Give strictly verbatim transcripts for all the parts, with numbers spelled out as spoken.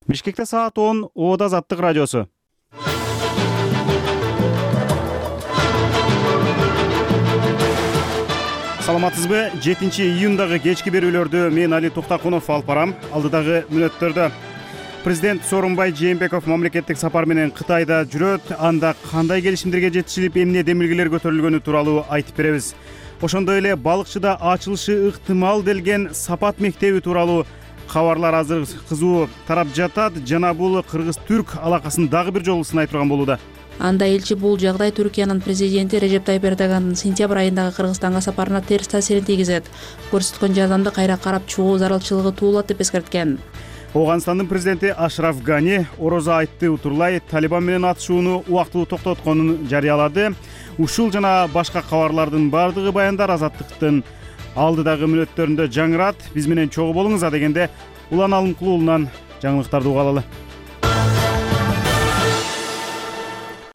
Бишкекте саат он, Ода Азаттык радиосу. Саламатсызбы? жетинчи июндагы кечки берүүлөрдү мен Али Туктакунов алып барам. Алдыдагы мүнөттөрдө президент Сооронбай Жээнбеков мамлекеттик сапар менен Кытайда жүрөт. Анда кандай келишимдерге жетишилип, эмне демилгелер көтөрүлгөнү тууралуу айтып беребиз. Ошондой эле балыкчыда ачылышы ыктымал делген Сапат мектеби тууралуу кабарлар азыр кызуу тарап жатат жана бул кыргыз-түрк алакасын дагы бир жолу сынай турган болууда. Анда элчи бул жагдай Түркиянын президенти Режеп Тайип Эрдогандын сентябрь айындагы Кыргызстанга сапарына терс таасирин тийгизет. Көрсөткөн жардамды кайра карап чыгуу зарылчылыгы туулат деп эскерткен. Оганстандын президенти Ашраф Гани орозо айтты утурлай Талибан менен атышууну убактылуу токтотконун жарыялады. Ушул жана башка кабарлардын бардыгы баяндар Азаттыктын алдыдагы мүнөттөрүндө жаңырат. Биз менен чогуу болуңуз. Адегенде Улан Алымкул уулунан жаңылыктарды угалалы.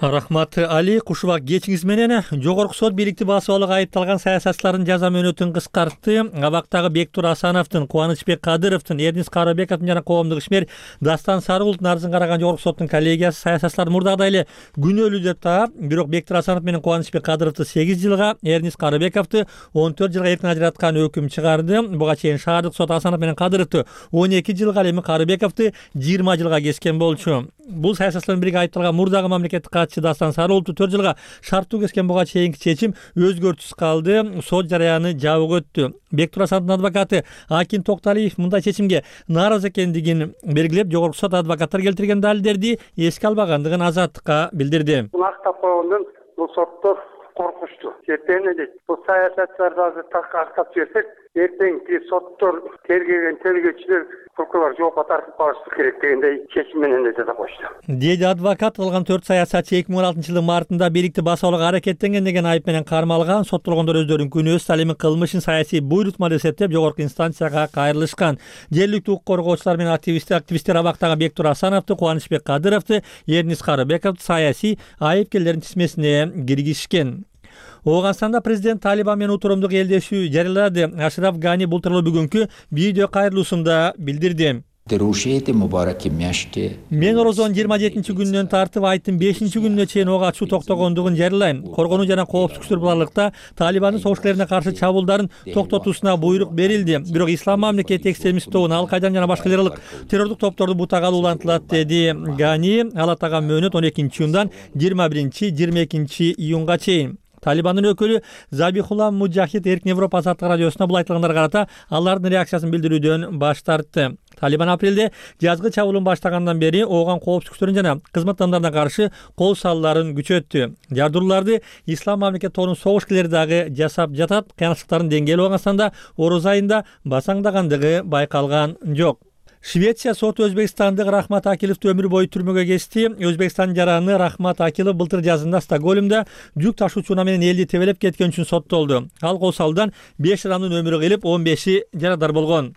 Рахмат Али, кушубак кечиңиз менен жогорку сот бийликти басып алууга айыпталган саясатчылардын жаза мөөнөтүн кыскартты. Абактагы Бектур Асановдун, Кубанычбек Кадыровдун, Эрнис Карыбековдун жана коомдук ишмер Дастан Сарыгулдун арызын караган жогорку соттун коллегиясы саясатчыларды мурдагыдай эле күнөөлүү деп таап, бирок Бектур Асанов менен Кубанычбек Кадыровду сегиз жылга, Эрнис Карыбековду он төрт жылга эркин ажыраткан өкүм чыгарды. Буга чейин шаардык сот Асанов менен Кадыровду он эки жылга, эми Карыбековду жыйырма жылга кескен болчу. Бул саясатчылардын бириге айыпталган мурдагы мамлекеттик катчы Дастан Сарыгулду төрт жылга шарттуу кескен. Буга чейинки чечим өзгөртүүсүз калды. Сот жарыяны жабык өттү. Бектур Асановдун адвокаты Акин Токталиев мындай чечимге нааразы экендигин белгилеп, жогорку сот адвокаттар келтирген далилдерди эске албагандыгын Азаттыкка билдирди. Бул актап койгондон бул соттор коркушту. Эртең эле бул саясатчыларды азыр так актап жиберсек, эртеңки соттор тергеген тергөөчүлөр прокурор жоопко тартып калышы керек дегендей чечим менен эле жаза кошту. Деди адвокат. Калган төрт саясатчы эки миң он алтынчы жылдын мартында бийликти басып алууга аракеттенген деген айып менен кармалган. Соттолгондор өздөрүнүн күнөөсүн, ал эми кылмышын саясий буйрутма деп эсептеп жогорку инстанцияга кайрылышкан. Жергиликтүү укук коргоочулар менен активисттер активисттер абактагы Бектур Асановду, Кубанычбек Кадыровду, Эрнис Карыбековду саясий айыпкерлердин тизмесине киргизишкен. Оганстанда президент Талибан менен утуруумдук элдешүү жарыялады. Ашраф Гани бул тууралуу бүгүнкү видео кайрылуусунда билдирди. Мен орозонун жыйырма жетинчи күнүнөн тартып айттын бешинчи күнүнө чейин ок ачуу токтогондугун жарыялайм. Коргонуу жана коопсуздук барлыкта Талибандын согушкерлерине каршы чабуулдарын токтотуусуна буйрук берилди. Бирок Ислам мамлекети экстремист тобун, Ал-Кайдан жана башка террорлук террордук топторду бутагаалы улантылат, деди Гани. Ал атаган мөөнөт он экинчи июндан жыйырма биринчи жыйырма экинчи июнга чейин. Талибандын өкүлү Забихулла Муджахид Эркин Европа Азаттык радиосуна бул айтылгандарга карата алардын реакциясын билдирүүдөн баш тартты. Талибан апрелде жазгы чабуулун баштагандан бери ооган коопсуздук күчтөрүнө жана кызмат адамдарына каршы кол салууларын күчөттү. Жардырууларды Ислам мамлекети тобунун согушкерлери дагы жасап жатат. Кыянчылыктардын деңгээли Оганстанда ороз айында басаңдагандыгы байкалган жок. Швеция соту Өзбекстандык Рахмат Акиловду өмүр бою түрмөгө кести. Өзбекстандын жараны Рахмат Акилов былтыр жазында Стокгольмда жүк ташуучуна менен элди тебелеп кеткен үчүн соттолду. Ал кол салуудан беш адамдын өмүрү кыйылып, он беши жарадар болгон.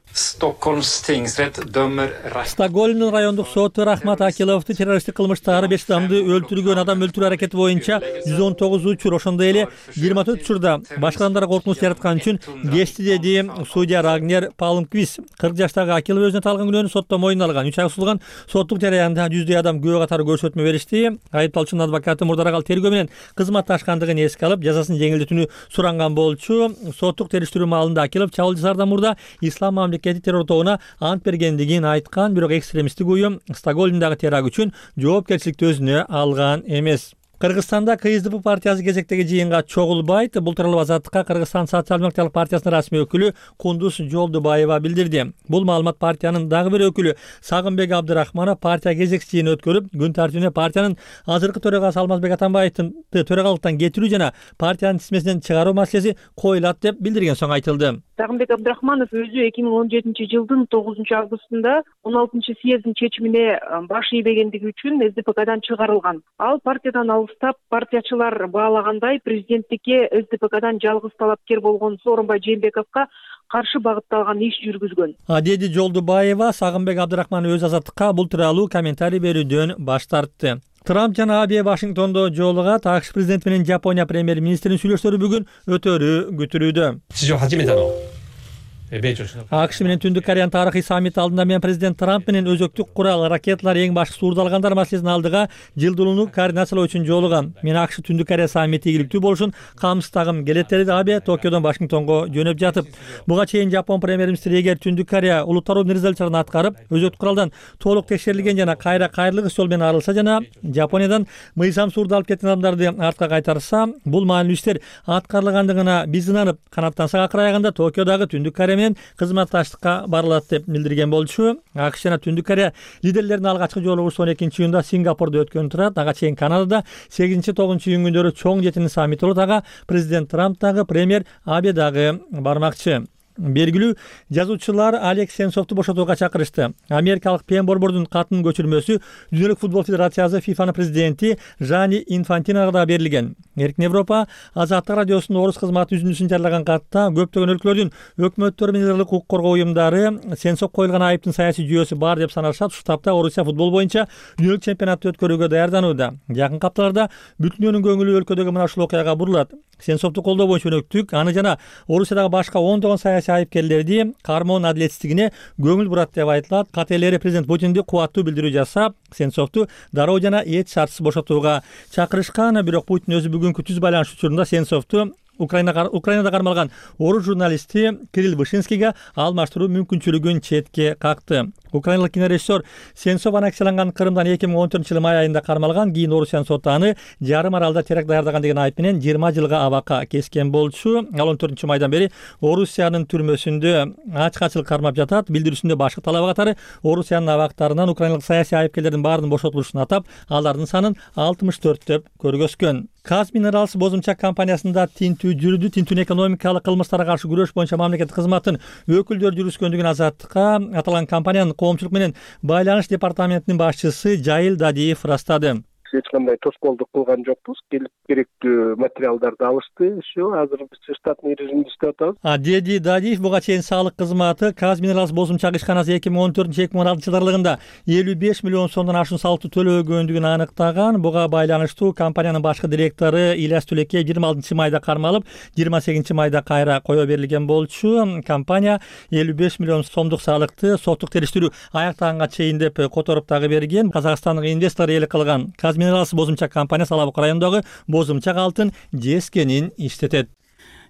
Стокгольмдун райондук соту Рахмат Акиловду террористтик кылмыштагы беш адамды өлтүргөн, адам өлтүрүү аракети боюнча жүз он тогуз учур, ошондой эле жыйырма төрт учурда башка адамдарга коркунуч жараткан үчүн кести, деди судья Рагнер Палмквист. кырк жаштагы Акилов өзүнө талган сотто мойнуна алган. үч ай созулган соттук жарыянда жүздөй адам күбө катары көрсөтмө беришти. Айыпталуучунун адвокаты мурдараак ал тергөө менен кызматташкандыгын эске алып, жазасын жеңилдетүүнү суранган болчу. Соттук териштирүү маалында Акилов чабуул жасаардан мурда Ислам мамлекети террор тобуна ант бергендигин айткан, бирок экстремисттик уюм Стокгольмдагы теракт үчүн жоопкерчиликти өзүнө алган эмес. Кыргызстанда К С D P партиясы кезектеги жыйынга чогулбайт. Бул тууралуу Азаттыкка Кыргызстан социал-демократиялык партиясынын расмий өкүлү Кундуз Жолдубаева билдирди. Бул маалымат партиянын дагы бир өкүлү Сагынбек Абдырахманов партия кезекчи жыйын өткөрүп, күн тартибине партиянын азыркы төрагасы Алмазбек Атамбаевдин төрагалыктан кетирүү жана партиянын тизмесинен чыгаруу маселеси коюлат деп билдирген соң айтылды. Сагынбек Абдырахманов өзү эки миң он жетинчи жылдын тогузунчу августунда он алтынчы съездин чечимине баш ийбегендиги үчүн С D P K'дан чыгарылган. Ал партиядан алыстап, партиячылар баалагандай президенттикке С D P K'дан жалгыз талапкер болгон Сооронбай Жээнбековго каршы багытталган иш жүргүзгөн. Деди Жолдубаева. Сагынбек Абдырахманов өз Азаттыкка бул тууралуу комментарий берүүдөн баш тартты. Трамп жана Абе Вашингтондо жолугат. АКШ президенти менен Жапония премьер-министринин сүйлөштөрү бүгүн өтөрү күтүлүүдө. 史上初めての АКШ プレゼントとの会談になります。 Трамп жана Абе Вашингтондо жолугат. АКШ президенти менен Жапония премьер министринин сүйлөштөрү бүгүн өтөрү күтүлүүдө. акш менен Түндүк Кореянын тарыхый саммити алдында мен президент Трамп менен өзөктүк курал, ракеталар, эң башкы суурдалгандар маселесин алдыга жылдуулууну координациялоо үчүн жолугам. Мен акш Түндүк Корея саммити ийгиликтүү болушун камсыздагым келет деди Абе Токиодон Вашингтонго жөнөп жатып. Буга чейин Жапон премьер-министри эгер Түндүк Корея улуттаруу резолюцияларын аткарып, өзөктүк куралдан толук текшерилген жана кайра кайрылык жол менен арылса жана Жапониядан мыйзам суурдалып кеткен адамдарды артка кайтарса, бул маанилүү иштер аткарылгандыгына биз ынанып, канаттансак акыр аягында Токиодагы Түндүк Корея менен кызматташтыкка барылат деп билдирген болчу. акш жана Түндүк Корея лидерлеринин алгачкы жолугушуу он экинчи июнда Сингапурда өткөн турат. Ага чейин Канадада сегизинчи тогузунчу июнь күндөрү чоң жетинин саммити болот. Ага президент Трамп дагы, премьер Абе дагы бармакчы. Белгилүү жазуучулар Алекс Сенцовду бошотууга чакырышты. Америкалык Пен Борбордун катынын көчүрмөсү Дүйнөлүк футбол федерациясы фифанын президенти Жани Инфантиноға да берилген. Эркин Европа Азаттык радиосунун орус кызматы үзүндүсүн жарылаган катта көптөгөн өлкөлөрдүн өкмөттөрү менен ыргылык укук коргоо уюмдары Сенцов коюлган айыптын саясий жүйөсү бар деп санашат. Ушул тапта Орусия футбол боюнча дүйнөлүк чемпионатты өткөрүүгө даярданууда. Жакын апталарда бүтүн дүйнөнүн көңүлү өлкөдөгү мына ушул окуяга бурулат. Сенцовду колдоо боюнча өнөктүк, аны жана Орусиядагы башка ондогон саясий айыпкерлерди кармоонун адилетсиздигине көңүл бурат деп айтылат. Кателери президент Путинди кубаттуу билдирүү жасап, Сенцовду дароо жана эч шартсыз бошотууга чакырышкан. Бирок Путин өзү бүгүнкү түз байланыш учурунда Сенцовду Украина Украинада кармалган орус журналисти Кирилл Вышинскийге алмаштыруу мүмкүнчүлүгүн четке какты. Украиналык кинорежиссер Сенцов аннексияланган Крымдан эки миң он төртүнчү жылы май айында кармалган. Кийин Орусиянын соту аны жарым аралда теракт даярдаган деген айып менен жыйырма жылга абакка кескен болчу. Ал он төртүнчү майдан бери Орусиянын түрмөсүндө ачкачылык кармап жатат. Билдирүүсүндө башкы талабы катары Орусиянын абактарынан украиналык саясий айыпкерлердин баарынын бошотулушун атап, алардын санын алтымыш төрт деп көргөзгөн. Казминералс бозумчак компаниясында тинтүү жүрдү. Тинтүүнүн экономикалык кылмыштарга каршы күрөш боюнча мамлекеттик кызматтын өкүлдөрү жүрүскөндүгүн Азаттыкка аталган компаниянын коомчулук менен байланыш департаментинин башчысы Жайыл Дадиев ырастады. Эч кандай тоскоолдук кылган жокпуз. Келип керектүү материалдарды алышты. Все, азыр биз штатный режимде иштеп атабыз. А Деди Дадиев буга чейин салык кызматы Казминералс бозумчак ишканасы эки миң он төртүнчү эки миң он алтынчы жылдар аралыгында элүү беш миллион сомдон ашуун салыкты төлөгөндүгүн аныктаган. Буга байланыштуу компаниянын башкы директору Ильяс Түлекей жыйырма алтынчы майда кармалып, жыйырма сегизинчи майда кайра кое берилген болчу. Компания элүү беш миллион сомдук салыкты соттук териштирүү аяктаганга чейин деп которуп дагы берген. Казакстандык инвестор ээлик кылган Казминералс бозумчак компаниясы Алабук районундагы бозумчак алтын жескенин иштетет.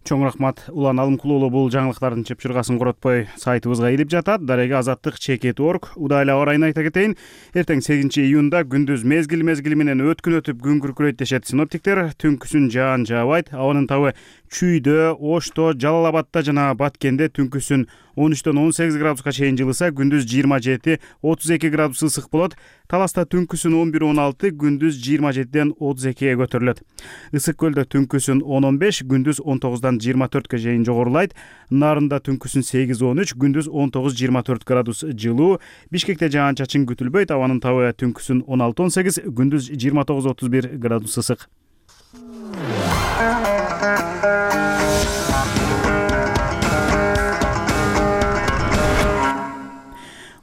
Чоң рахмат. Улан Алымкулуулу бул жаңылыктардын чыпчыргасын коротпой сайтыбызга илип жатат. Дарега азаттык чекит точка орг. Удайлы аба ырайын айта кетейин. Эртең сегизинчи июнда күндүз мезгил мезгили менен өткүн өтүп күн күркүрөйт дешет синоптиктер. Түнкүсүн жаан жаабайт. Абанын табы Чүйдө, Ошто, Жалал Абадта жана Баткенде түнкүсүн он үчтөн он сегиз градуска чейин жылыса, күндүз жыйырма жети отуз эки градус ысык болот. Таласта түнкүсүн он бир он алты, күндүз жыйырма жетиден отуз экиге көтөрүлөт. Ысык көлдө түнкүсүн он он беш, күндүз он тогуздан жыйырма төрткө чейин жогорулайт. Нарында түнкүсүн сегиз он үч, күндүз он тогуз жыйырма төрт градус жылуу. Бишкекте жаан-чачын күтүлбөйт. Абанын табы түнкүсүн он алты он сегиз, күндүз жыйырма тогуз отуз бир градус ысык.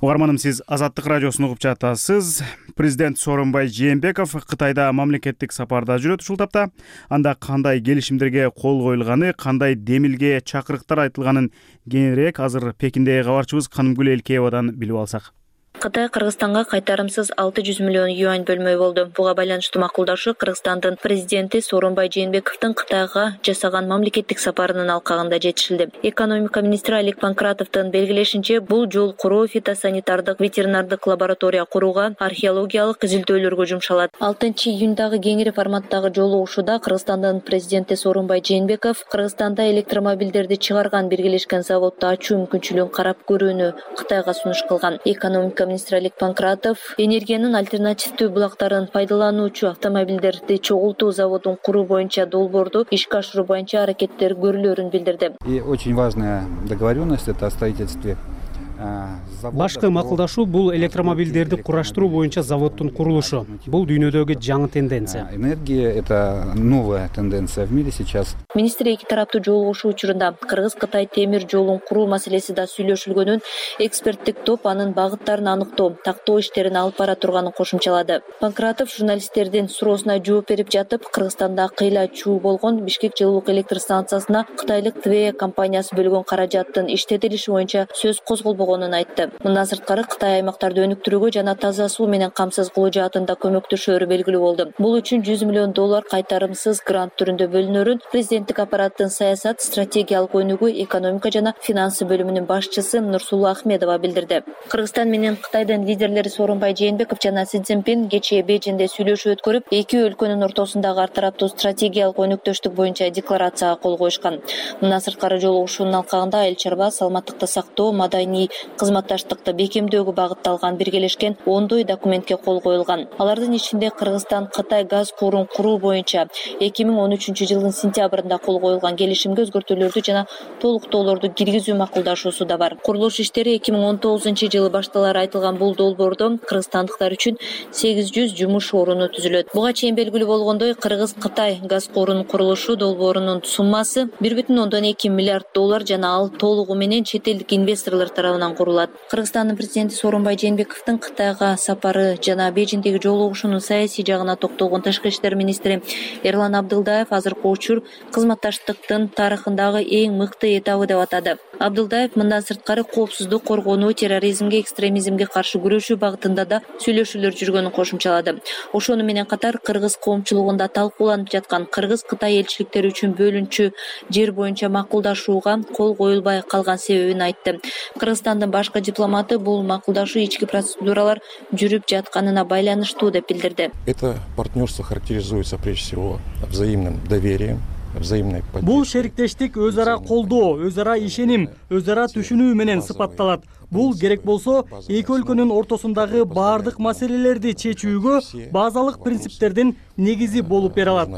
Угарманым, сиз Азаттык радиосун угуп жатасыз. Президент Сооронбай Жээнбеков Кытайда мамлекеттик сапарда жүрөт ушул тапта. Анда кандай келишимдерге кол коюлганы, кандай демилге чакырыктар айтылганын кеңирээк азыр Пекиндеги кабарчыбыз Канымгүл Элкеевадан билип алсак. Кытай Кыргызстанга кайтарымсыз алты жүз миллион юань бөлмөй болду. Буга байланыштуу макулдашуу Кыргызстандын президенти Сооронбай Жээнбековдун Кытайга жасаган мамлекеттик сапарынын алкагында жетишилди. Экономика министри Алик Панкратовдун белгилешинче, бул жол куруу фитосанитардык ветеринардык лаборатория курууга, археологиялык изилдөөлөргө жумшалат. алтынчы июндагы кеңири форматтагы жолугушууда Кыргызстандын президенти Сооронбай Жээнбеков Кыргызстанда электромобилдерди чыгарган биргелешкен заводду ачуу мүмкүнчүлүгүн карап көрүүнү Кытайга сунуш кылган. Экономика министри Алик Панкратов энергиянын альтернативдүү булактарын пайдалануучу автомобилдерди чогултуу заводун куруу боюнча долбоорду ишке ашыруу боюнча аракеттер көрүлөрүн билдирди. И очень важная договоренность — это о строительстве Башкы макулдашуу бул электромобилдерди кураштыруу боюнча заводдун курулушу. Бул дүйнөдөгү жаңы тенденция. Энергия — это новая тенденция в мире сейчас. Министр эки тараптуу жолугушуу учурунда Кыргыз-Кытай темир жолун куруу маселеси да сүйлөшүлгөнүн, эксперттик топ анын багыттарын аныктоо, тактоо иштерин алып бара турганын кошумчалады. Панкратов журналисттердин суроосуна жооп берип жатып, Кыргызстанда кыйла чуу болгон Бишкек жылуулук электр станциясына кытайлык Твея компаниясы бөлгөн каражаттын иштетилиши боюнча сөз козголбогонун айтты. Мындан сырткары Кытай аймактарды өнүктүрүүгө жана таза суу менен камсыз кылуу жаатында көмөктөшөөрү белгилүү болду. Бул үчүн жүз миллион доллар кайтарымсыз грант түрүндө бөлүнөрүн президенттик аппараттын саясат стратегиялык өнүгүү экономика жана финансы бөлүмүнүн башчысы Нурсулуу Ахмедова билдирди. Кыргызстан менен Кытайдын лидерлери Сооронбай Жээнбеков жана Си Цзиньпин кечээ Бейжиңде сүйлөшүү өткөрүп, эки өлкөнүн ортосундагы ар тараптуу стратегиялык өнүктөштүк боюнча декларацияга кол коюшкан. Мындан сырткары жолугушуунун алкагында айыл чарба, саламаттыкты сактоо, маданий кызматташтыкты бекемдөөгө багытталган биргелешкен ондой документке кол коюлган. Алардын ичинде Кыргызстан Кытай газ курун куруу боюнча эки миң он үчүнчү жылдын сентябрында кол коюлган келишимге өзгөртүүлөрдү жана толуктоолорду киргизүү макулдашуусу да бар. Курулуш иштери эки миң он тогузунчу жылы башталары айтылган бул долбоордо кыргызстандыктар үчүн сегиз жүз жумуш оруну түзүлөт. Буга чейин белгилүү болгондой, Кыргыз-Кытай газ курунун курулушу долбоорунун суммасы бир бүтүн ондон эки миллиард доллар жана ал толугу менен чет элдик инвесторлор тарабынан курулат. Кыргызстандын президенти Сооронбай Жээнбековдун Кытайга сапары жана Бейжиңдеги жолугушуунун саясий жагына токтолгон тышкы иштер министри Эрлан Абдылдаев азыркы учур кызматташтыктын тарыхындагы эң мыкты этабы деп атады. Абдылдаев мындан сырткары коопсуздук коргонуу, терроризмге, экстремизмге каршы күрөшүү багытында да сүйлөшүүлөр жүргөнүн кошумчалады. Ошону менен катар кыргыз коомчулугунда талкууланып жаткан Кыргыз-Кытай элчиликтери үчүн бөлүнчү жер боюнча макулдашууга кол коюлбай калган себебин айтты. Кыргызстандын башкы дипломаты бул макулдашуу ички процедуралар жүрүп жатканына байланыштуу деп билдирди. Это партнерство характеризуется прежде всего взаимным доверием. Бул шериктештик өз ара колдоо, өз ара ишеним, өз ара түшүнүү менен сыпатталат. Бул керек болсо эки өлкөнүн ортосундагы баардык маселелерди чечүүгө базалык принциптердин негизи болуп бере алат.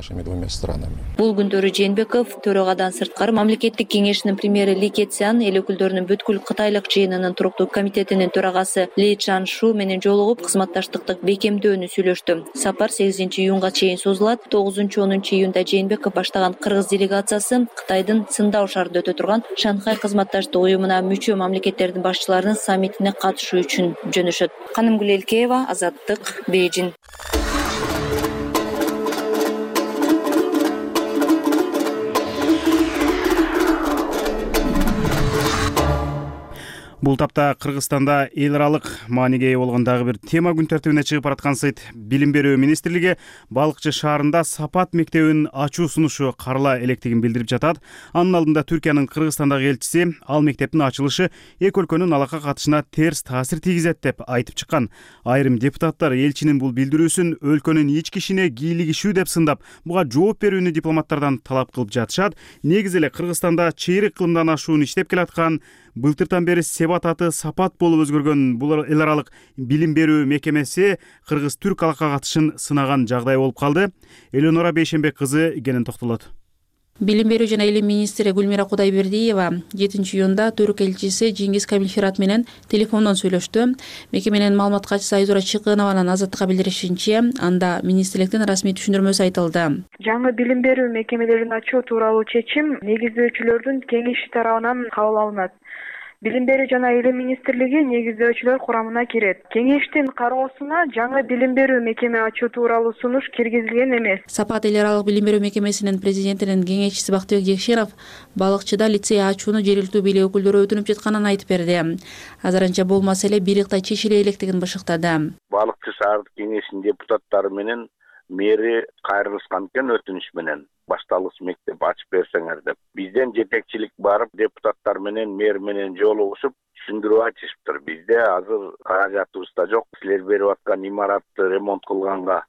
Бул күндөрү Жээнбеков төрөгадан сырткары мамлекеттик кеңешинин премьери Ли Кэцян, эл өкүлдөрүнүн бүткүл кытайлык жыйынынын туруктуу комитетинин төрагасы Ли Чаншу менен жолугуп, кызматташтыкты бекемдөөнү сүйлөштү. Сапар сегизинчи июнга чейин созулат. тогузунчу онунчу июнда Жээнбеков баштаган кыргыз делегациясы Кытайдын Циндао шаарында өтө турган Шанхай кызматташтык уюмуна мүчө мамлекеттердин башчыларынын саммитине катышуу үчүн жөнөшөт. Канымгүл Элкеева, Азаттык, Бейжиң. Бул тапта Кыргызстанда эл аралык мааниге ээ болгон дагы бир тема күн тартибине чыгып бараткан сайт. Билим берүү министрлиги Балыкчы шаарында Сапат мектебин ачуу сунушу карала электигин билдирип жатат. Анын алдында Түркиянын Кыргызстандагы элчиси ал мектептин ачылышы эки өлкөнүн алака катышына терс таасир тийгизет деп айтып чыккан. Айрым депутаттар элчинин бул билдирүүсүн өлкөнүн ички ишине кийлигишүү деп сындап, буга жооп берүүнү дипломаттардан талап кылып жатышат. Негизи эле Кыргызстанда чейрек кылымдан ашуун иштеп келаткан, былтыртан бери Себат аты Сапат болуп өзгөргөн бул эл аралык билим берүү мекемеси кыргыз-түрк алака катышын сынаган жагдай болуп калды. Элеонора Бейшенбек кызы кенен токтолот. Билим берүү жана илим министри Гүлмира Кудайбердиева жетинчи июнда түрк элчиси Жеңгиз Камилфират менен телефондон сүйлөштү. Мекеменин маалымат катчысы Айзура Чыкынованын Азаттыкка билдиришинче, анда министрликтин расмий түшүндүрмөсү айтылды. Жаңы билим берүү мекемелерин ачуу тууралуу чечим негиздөөчүлөрдүн кеңеши тарабынан кабыл алынат. Билим берүү жана илим министрлиги негиздөөчүлөр курамына кирет. Кеңештин кароосуна жаңы билим берүү мекеме ачуу тууралуу сунуш киргизилген эмес. Сапат эл аралык билим берүү мекемесинин президентинин кеңешчиси Бактыбек Жекшенов Балыкчыда лицей ачууну жергиликтүү бийлик өкүлдөрү өтүнүп жатканын айтып берди. Азырынча бул маселе бириктай чечиле электигин бышыктады. Балыкчы шаардык кеңешинин депутаттары менен мэри кайрылышкан экен өтүнүш менен. Башталгыч мектеп ачып берсеңер деп. Бизден жетекчилик барып, депутаттар менен мэр менен жолугушуп, түшүндүрүп айтышыптыр. Бизде азыр каражатыбыз да жок. Силер берип аткан имаратты ремонт кылганга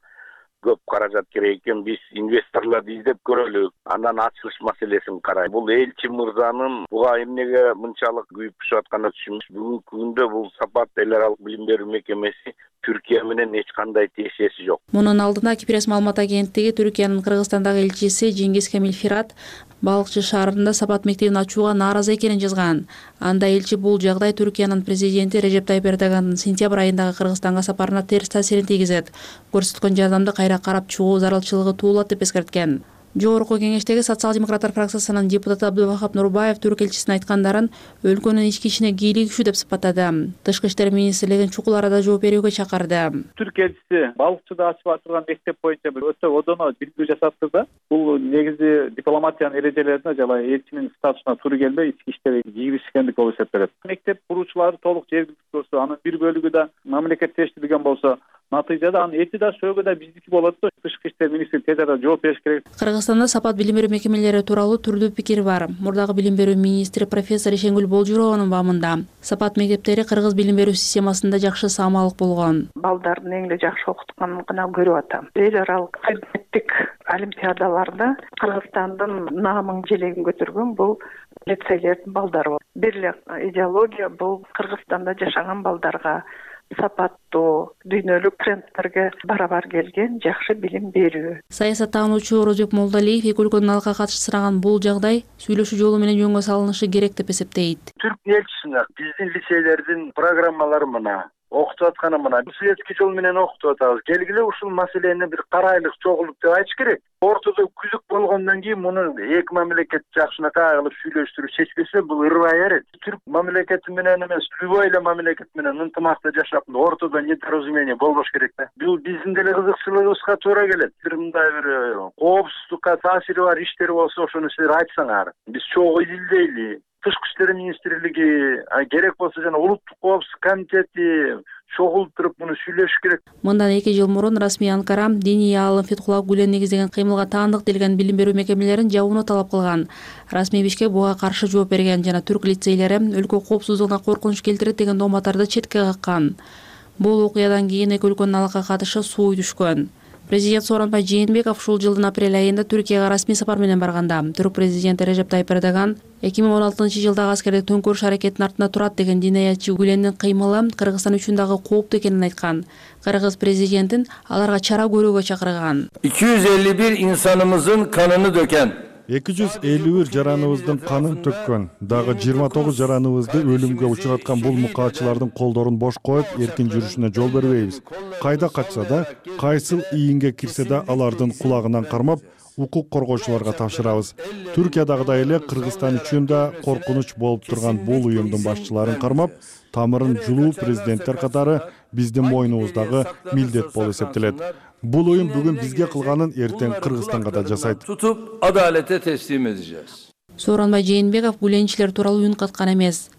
көп каражат керек экен. Биз инвесторлорду издеп көрөлү. Андан ачылыш маселесин карай. Бул элчи мырзанын буга эмнеге мынчалык күйүп пишип атканы түшүнүш. Бүгүнкү күндө бул Сапат эл аралык билим берүү мекемеси Түркия менен эч кандай тиешеси жок. Мунун алдында Кипрес маалымат агенттиги Түркиянын Кыргызстандагы элчиси Жеңгиз Камилфират Балыкчы шаарында сапат мектебин ачууга нааразы экенин жазган. Анда элчи бул жагдай Түркиянын президенти Режеп Тайып Эрдогандын сентябрь айындагы Кыргызстанга сапарына терс таасирин тийгизет. Көрсөткөн жардамды кайра карап чыгуу зарылчылыгы туулат деп эскерткен. Жогорку кеңештеги социал-демократтар фракциясынын депутаты Абдубахап Нурбаев түрк элчисинин айткандарын өлкөнүн ички ишине кийлигишүү деп сыпаттады. Тышкы иштер министрлигин чукул арада жооп берүүгө чакырды. Түрк элчиси балыкчыда ачып атылган мектеп боюнча өтө одоно билдирүү жасаптырды. Бул негизи дипломатиянын эрежелерине жана элчинин статусуна туура келбей ички иштерге киришкендик болуп эсептелет. Мектеп куруучулары толук жергиликтүү болсо, анын бир бөлүгү да мамлекеттештирилген болсо, натыйжада анын эти да сөөгү да биздики болот да. Тышкы иштер министри тез арада жооп бериш керек. Кыргызстанда сапат билим берүү мекемелери тууралуу түрдүү пикир бар. Мурдагы билим берүү министри профессор Ишенгүл Болжурованын баамында сапат мектептери кыргыз билим берүү системасында жакшы саамалык болгон. Балдардын эң эле жакшы окутканын гана көрүп атам. Эл аралык предметтик олимпиадаларда Кыргызстандын наамын желегин көтөргөн бул лицейлердин балдары. Бир эле идеология бул Кыргызстанда жашаган балдарга сапаттуу дүйнөлүк трендтерге барабар келген жакшы билим берүү. Саясаттануучу Орозбек Молдалиев эки өлкөнүн алка катышы сынаган бул жагдай сүйлөшүү жолу менен жөнгө салынышы керек деп эсептейт. Түрк элчисине биздин лицейлердин программалары мына окутуп атканы мына советский жол менен окутуп атабыз. Келгиле ушул маселени бир карайлык, чогулук деп айтыш керек. Ортодо күзүк болгондон кийин муну эки мамлекет жакшынакай кылып сүйлөштүрүп чечпесе бул ырбай берет. Түрк мамлекети менен эмес, любой эле мамлекет менен ынтымакта жашап, ортодо недоразумение болбош керек да. Бул биздин деле кызыкчылыгыбызга туура келет. Бир мындай бир коопсуздукка таасири бар иштер болсо, ошону силер айтсаңар. Биз чогуу изилдейли. Тышкы иштер министрлиги керек болсо жана улуттук коопсуздук комитети чогулуп туруп муну сүйлөшүш керек. Мындан эки жыл мурун расмий Анкара диний аалым Фетхулла Гүлен негиздеген кыймылга таандык делген билим берүү мекемелерин жабууну талап кылган. Расмий Бишкек буга каршы жооп берген жана түрк лицейлери өлкө коопсуздугуна коркунуч келтирет деген дооматтарды четке каккан. Бул окуядан кийин эки өлкөнүн алка катышы сууй түшкөн. Президент Сооронбай Жээнбеков ушул жылдын апрель айында Түркияга расмий сапар менен барганда түрк президенти Режеп Тайып Эрдоган эки миң он алтынчы жылдагы аскердик төңкөрүш аракетинин артында турат деген динаятчы Гүлендин кыймылы Кыргызстан үчүн дагы кооптуу экенин айткан. Кыргыз президентин аларга чара көрүүгө чакырган. эки жүз элүү бир инсанымыздын канын дөкөн. эки жүз элүү бир жараныбыздын канын төккөн. Дагы жыйырма тогуз жараныбызды өлүмгө учураткан бул мукаатчылардын колдорун бош коюп, эркин жүрүшүнө жол бербейбиз. Кайда качса да, кайсыл ийинге кирсе да алардын кулагынан кармап, укук коргоочуларга тапшырабыз. Түркиядагыдай эле Кыргызстан үчүн да коркунуч болуп турган бул уюмдун башчыларын кармап, тамырын жулуу президенттер катары биздин мойнубуздагы милдет болуп эсептелет. Бул уюм бүгүн бизге кылганын эртең Кыргызстанга да жасайт. Tutup adalete teslim edeceğiz. Сооронбай Жээнбеков гүленчилер тууралуу үн каткан эмес.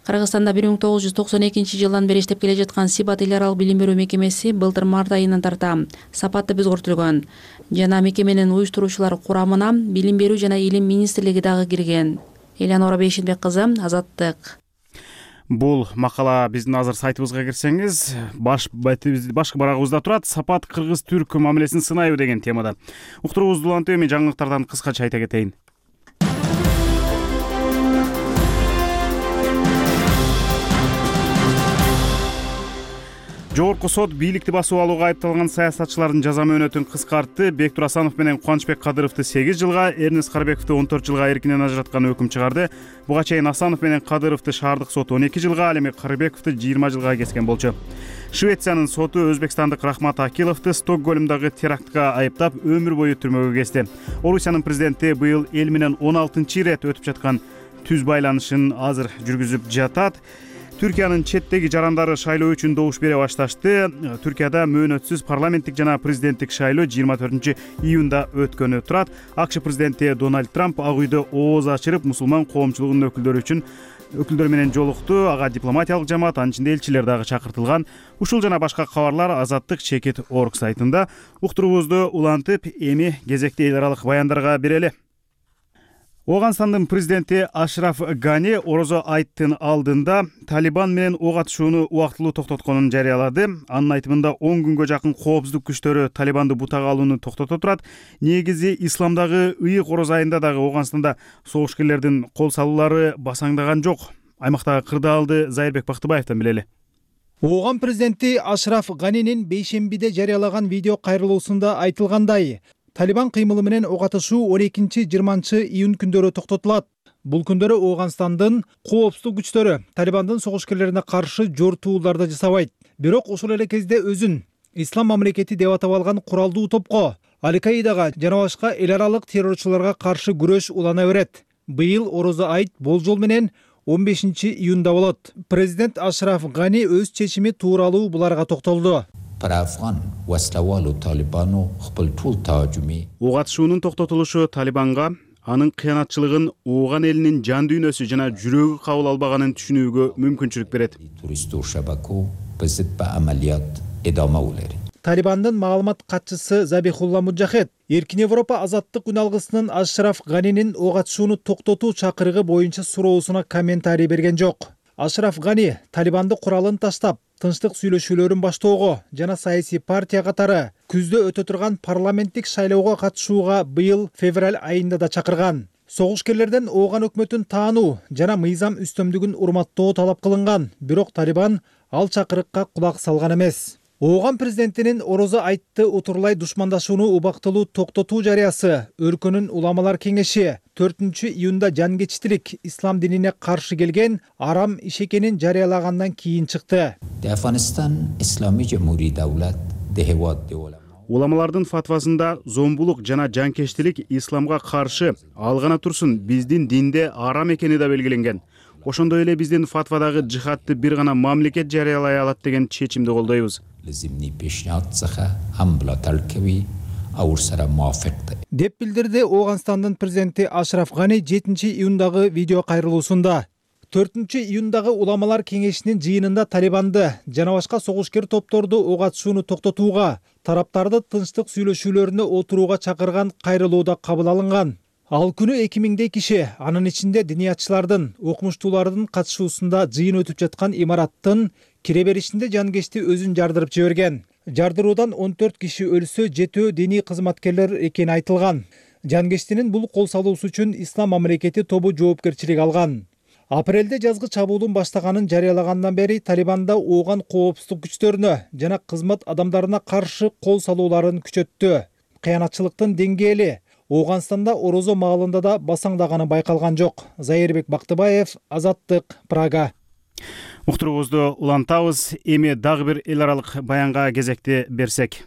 Кыргызстанда бир миң тогуз жүз токсон экинчи жылдан бери иштеп келе жаткан Сипат эл аралык билим берүү мекемеси былтыр март айынан тарта сапатты өзгөртүлгөн. Жана мекеменин уюштуруучулар курамына билим берүү жана илим министрлиги дагы кирген. Элянора Бейшенбек кызы, Азаттык. Бул макала биздин азыр сайтыбызга кирсеңиз, баш башкы барагыбызда турат. Сапат кыргыз-түрк мамилесин сынайбы деген темада. Уктуруубузду улантып, эми жаңылыктардан кыскача айта кетейин. Жогорку сот бийликти басып алууга айыпталган саясатчылардын жаза мөөнөтүн кыскартты. Бектур Асанов менен Кубанычбек Кадыровду сегиз жылга, Эрнест Карбековду он төрт жылга эркинен ажыраткан өкүм чыгарды. Буга чейин Асанов менен Кадыровду шаардык сот он эки жылга, ал эми Карбековду жыйырма жылга кескен болчу. Швециянын соту өзбекстандык Рахмат Акиловду Стокгольмдагы терактка айыптап өмүр бою түрмөгө кести. Орусиянын президенти быйыл эл менен он алтынчы ирет өтүп жаткан түз байланышын азыр жүргүзүп жатат. Түркиянын четтеги жарандары шайлоо үчүн добуш бере башташты. Түркияда мөөнөтсүз парламенттик жана президенттик шайлоо жыйырма төртүнчү июнда өткөнү турат. АКШ президенти Дональд Трамп ак үйдө ооз ачырып, мусулман коомчулугунун өкүлдөрү үчүн өкүлдөр менен жолукту. Ага дипломатиялык жамаат, анын ичинде элчилер дагы чакыртылган. Ушул жана башка кабарлар Азаттык чекит орг сайтында. Уктуруубузду улантып, эми кезекти эл аралык баяндарга берели. Оганстандын президенти Ашраф Гани Орозо айттын алдында Талибан менен ок атышууну убактылуу токтотконун жарыялады. Анын айтымында он күнгө жакын коопсуздук күчтөрү Талибанды бутага алууну токтото турат. Негизи исламдагы ыйык ороз айында дагы Оганстанда согушкерлердин кол салуулары басаңдаган жок. Аймактагы кырдаалды Зайырбек Бактыбаевден билели. Ооган президенти Ашраф Ганинин бейшембиде жарыялаган видео кайрылуусунда айтылгандай, Талибан кыймылы менен ок атышуу он экинчи жыйырманчы июнь күндөрү токтотулат. Бул күндөрү Ооганстандын коопсуздук күчтөрү Талибандын согушкерлерине каршы жортууларды жасабайт. Бирок ошол эле кезде өзүн ислам мамлекети деп атап алган куралдуу топко, Аль-Каидага жана башка эл аралык террорчуларга каршы күрөш улана берет. Быйыл орозо айт болжол менен он бешинчи июнда болот. Президент Ашраф Гани өз чечими тууралуу буларга токтолду. Ок атышуунун токтотулушу Талибанга анын кыянатчылыгын Ооган элинин жан дүйнөсү жана жүрөгү кабыл албаганын түшүнүүгө мүмкүнчүлүк берет. Талибандын маалымат катчысы Забихулла Муджахед Эркин Европа азаттык күн алгысынын Ашраф Ганинин ок атышууну токтотуу чакырыгы боюнча суроосуна комментарий берген жок. Ашраф Гани Талибанды куралын таштап, тынчтык сүйлөшүүлөрүн баштоого жана саясий партия катары күздө өтө турган парламенттик шайлоого катышууга быйыл февраль айында да чакырган. Согушкерлерден Ооган өкмөтүн таануу жана мыйзам үстөмдүгүн урматтоо талап кылынган, бирок Талибан ал чакырыкка кулак салган эмес. Ооган президентинин орозо айтты утурлай душмандашууну убактылуу токтотуу жарыясы өлкөнүн уламалар кеңеши төртүнчү июнда жангечтилик ислам динине каршы келген арам иш экенин жарыялагандан кийин чыкты. Уламалардын фатвасында зомбулук жана жанкечтилик исламга каршы, ал гана турсун биздин динде арам экени да белгиленген. Ошондой эле биздин фатвадагы жихадты бир гана мамлекет жарыялай алат деген чечимди колдойбуз. Деп билдирди Ооганстандын президенти Ашраф Гани жетинчи июндагы видео кайрылуусунда. төртүнчү июндагы уламалар кеңешинин жыйынында Талибанды жана башка согушкер топторду ок атышууну токтотууга, тараптарды тынчтык сүйлөшүүлөрүнө отурууга чакырган кайрылууда кабыл алынган. Ал күнү эки миңдей киши, анын ичинде диниятчылардын, окумуштуулардын катышуусунда жыйын өтүп жаткан имараттын кире беришинде жангечти өзүн жардырып жиберген. Жардыруудан он төрт киши өлсө, жетөө диний кызматкерлер экени айтылган. Жангечтинин бул кол салуусу үчүн Ислам мамлекети тобу жоопкерчилик алган. Апрелде жазгы чабуулун баштаганын жарыялагандан бери Талибанда Ооган коопсуздук күчтөрүнө жана кызмат адамдарына каршы кол салууларын күчөттү. Кыянатчылыктын деңгээли Ооганстанда орозо маалында да басаңдаганы байкалган жок. Зайырбек Бактыбаев, Азаттык, Прага. Уктуруубузду улантабыз. Эми дагы бир эл аралык баянга кезекти берсек.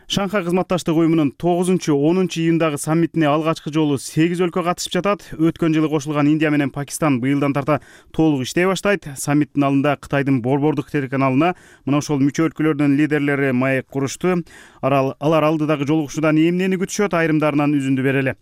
Шанхай кызматташтык уюмунун тогузунчу онунчу июндагы саммитине алгачкы жолу сегиз өлкө катышып жатат. Өткөн жылы кошулган Индия менен Пакистан быйылдан тарта толук иштей баштайт. Саммиттин алдында Кытайдын Борбордук телеканалына мына ошол мүчө өлкөлөрдүн лидерлери маек курушту. Алар алдыдагы жолугушуудан эмнени күтүшөт, айрымдарынан үзүндү берели.